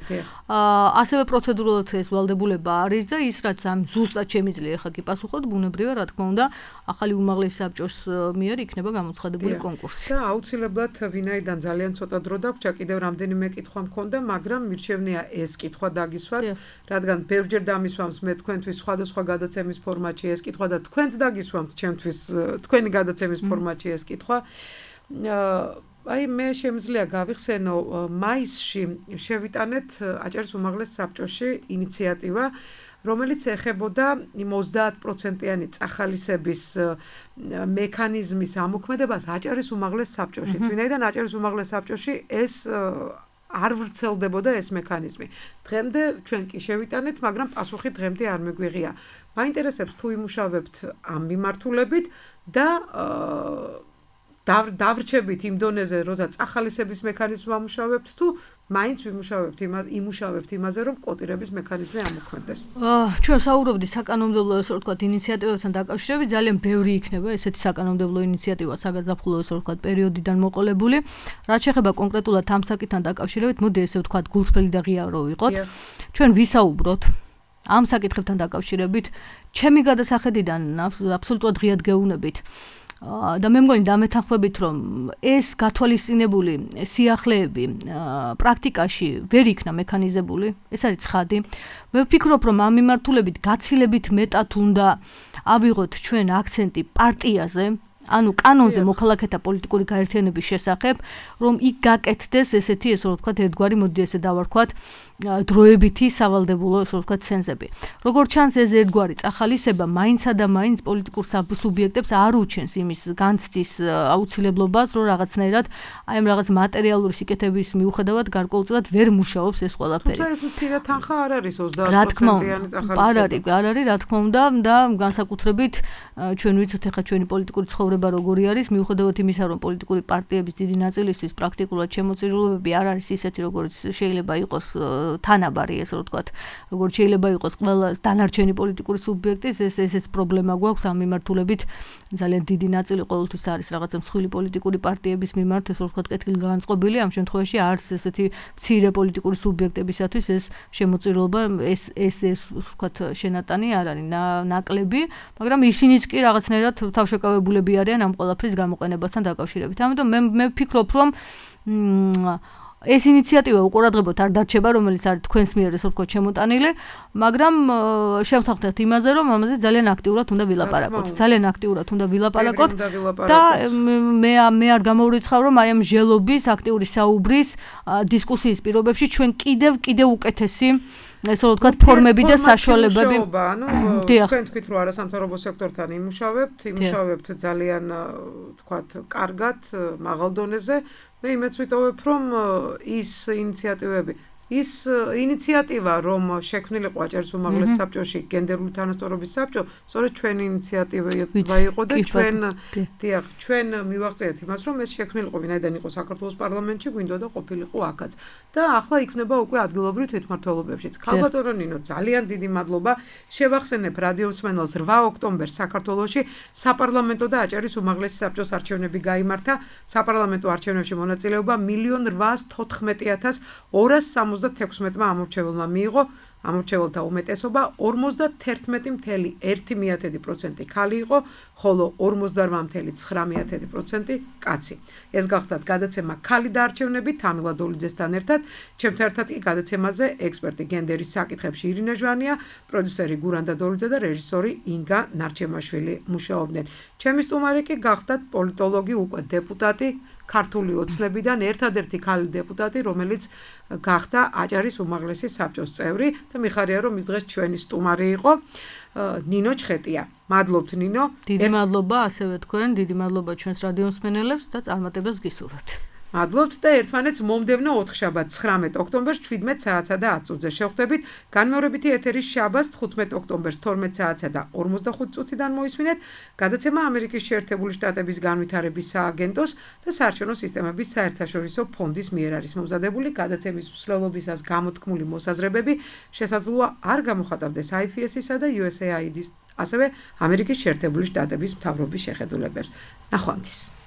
ასევე პროცედურულად ეს ვალდებულება არის და ის რაც ამ ზუსტად შემიძლია ხა გიპასუხოთ ბუნებრივია რა თქმა უნდა ახალი უმაღლესი საბჭოს მიერ იქნება გამოცხადებული კონკურსი და აუცილებლად ვინაიდან ძალიან ცოტა დრო დაგვჭა კიდევ რამდენიმე კითხვა მქონდა მაგრამ მირჩევნია ეს კითხვა დაგისვათ რადგან ბევრჯერ დამისვამს მე თქვენთვის სხვადასხვა გადაცემის ფორმატში ეს კითხვა და თქვენც დაგისვამთ ჩემთვის თქვენი გადაცემის ფორმატში ეს კითხვა აი მე შემიძლია გავიხსენო მაისში შევიტანეთ აჭარის უმაღლეს საბჭოში ინიციატივა რომელიც ეხებოდა იმ 30%-იანი წახალისების მექანიზმის ამოქმედებას აჭარის უმაღლეს საბჭოში. ვინაიდან აჭარის უმაღლეს საბჭოში ეს არ ვრცელდებოდა ეს მექანიზმი. დღემდე ჩვენ კი შევიტანეთ, მაგრამ პასუხი დღემდე არ მიგვიღია. მაინტერესებს თუ იმუშავებთ ამ მიმართულებით და დავრჩებით იმ დონეზე, როცა წახალისების მექანიზმი ამუშავებთ თუ მაინც იმუშავებთ იმაზე, რომ კოტირების მექანიზმი ამოქმედდეს. ჩვენ საუბრობდით საკანონმდებლო ესე ვთქვათ ინიციატივებთან დაკავშირებით, ძალიან ბევრი იქნება ესეთი საკანონმდებლო ინიციატივა საგაზაფხულო ესე ვთქვათ პერიოდიდან მოყოლებული. რაც შეეხება კონკრეტულად ამ საკითხთან დაკავშირებით, მოდი ესე ვთქვათ გულწრფელი და ღია რო ვიყოთ. ჩვენ ვისაუბროთ ამ საკითხებთან დაკავშირებით, ჩემი გადასახედიდან აბსოლუტურად ღიად გეუბნებით. და მე მგონი დამეთანხმებით რომ ეს გათვალისწინებული სიახლეები პრაქტიკაში ვერ იქნა მექანიზებული ეს არის ცხადი მე ვფიქრობ რომ ამ მიმართულებით გაცილებით მეტად უნდა ავიღოთ ჩვენ აქცენტი პარტიაზე ანუ კანონზე მოქალაქეთა პოლიტიკური გაერთიანების შესახებ რომ იქ გაკეთდეს ესეთი ესე ვთქვათ ერთგვარი მოდი ესე დავარქვათ დროებითი სავალდებულო ესე ვთქვათ ცენზები როგორც ჩანს ეს ერთგვარი წახალისება მაინცა და მაინც პოლიტიკურ სუბიექტებს არ უჩენს იმის განცდის აუცილებლობას რომ რაღაცნაირად აი ამ რაღაც მატერიალური სიკეთების მიუხედავად გარკვეულწილად ვერ მუშაობს ეს ყველაფერი თუმცა ეს მცირე თანხა არ არის 30%-იანი წახალისება არ არის რა თქმა უნდა და განსაკუთრებით ჩვენ ვიცით ახლა ჩვენი პოლიტიკური ცხოვრება ცხოვრება როგორი არის, მიუხედავად იმისა, რომ პოლიტიკური პარტიების დიდი ნაწილისთვის პრაქტიკულად შემოწირულობები არ არის ისეთი, როგორც შეიძლება იყოს თანაბარი, ესე რომ ვთქვათ, როგორც შეიძლება იყოს ყველა დანარჩენი პოლიტიკური სუბიექტის, ეს პრობლემა გვაქვს ამ მიმართულებით. ძალიან დიდი ნაწილი ყოველთვის არის რაღაცა მსხვილი პოლიტიკური პარტიების მიმართ, ესე რომ ვთქვათ, კეთილგანწყობილი. ამ შემთხვევაში არც ესეთი მცირე პოლიტიკური სუბიექტებისათვის ეს შემოწირულობა, ეს ვთქვათ, შენატანი არ არის ნაკლები, მაგრამ ისინიც კი რაღაცნაირად თავშეკავებულები არიან ამ ყველაფრის გამოყენებასთან დაკავშირებით. ამიტომ მე ვფიქრობ, რომ ეს ინიციატივა უყურადღებოთ არ დარჩება, რომელიც არის თქვენს მიერ ესე ვთქვათ შემოტანილი, მაგრამ შევთანხმდით იმაზე, რომ ამაზე ძალიან აქტიურად უნდა ვილაპარაკოთ. ძალიან აქტიურად უნდა ვილაპარაკოთ და მე არ გამოვრიცხავ, რომ აი ამ ჟელობის, აქტიური საუბრის, დისკუსიის პირობებში ჩვენ კიდევ უკეთესი ესე რომ ვთქვათ ფორმები და საშუალებები. ანუ თქვენ თქვით, რომ არასამთავრობო სექტორთან იმუშავებთ ძალიან ვთქვათ კარგად, მაღალ დონეზე. მე იმეც ვიტოვებ, რომ ის ინიციატივა, რომ შექმნილიყო აჭარის უმაღლეს საბჭოში გენდერული თანასწორობის საბჭო, სწორედ ჩვენი ინიციატივა იყო და ჩვენ მივაღწიეთ იმას, რომ ეს შექმნილიყო ვინაიდან იყო საქართველოს პარლამენტში, გვინდოდა ყოფილიყო აქაც. და ახლა იქნება უკვე ადგილობრივ თვითმმართველობებშიც. ქალბატონო ნინო, ძალიან დიდი მადლობა. შევახსენებ რადიომსმენელს 8 ოქტომბერს საქართველოში საპარლამენტო და აჭარის უმაღლესი საბჭოს არჩევნები გაიმართა. საპარლამენტო არჩევნებში მონაწილეობა 1,800,276-მა ამორჩეველმა მიიღო. ამორჩეველთა უმეტესობა 51,1% ქალი იყო, ხოლო 48,9% კაცი. ეს გახდათ გადაცემა ქალი და არჩევნები თამილა დოლიძესთან ერთად. ჩემთან ერთად კი გადაცემაზე ექსპერტი გენდერის საკითხებში ირინა ჟვანია, პროდიუსერი გურანდა დოლიძე და რეჟისორი ინგა ნარჩემაშვილი მუშაობდნენ. ჩემი სტუმარი კი გახდათ პოლიტოლოგი, უკვე დეპუტატი, ქართული ოცნებიდან ერთადერთი ქალი დეპუტატი, რომელიც გახდა აჭარის უმაღლესი საბჭოს წევრი და მიხარია, რომ ის დღეს ჩვენი სტუმარი იყო. ნინო ჩხეტია. მადლობთ ნინო. დიდი მადლობა ასევე თქვენ, დიდი მადლობა ჩვენს რადიომსმენელებს და წარმატებებს გისურვებთ. მადლობთ და ერთმანეთს მომდევნო ოთხშაბათ 19 ოქტომბერს 17 საათსა და 10 წუთზე შევხვდებით. განმეორებითი ეთერის შაბათს 15 ოქტომბერს 12 საათსა და 45 წუთიდან მოისმინეთ. გადაცემა ამერიკის შეერთებული შტატების განვითარების სააგენტოს და საარჩევნო სისტემების საერთაშორისო ფონდის მიერ არის მომზადებული. გადაცემის მსვლელობისას გამოთქმული მოსაზრებები შესაძლოა არ გამოხატავდეს IFS-ისა და USAID-ის, ასევე ამერიკის შეერთებული შტატების მთავრობის შეხედულებებს. ნახვამდის.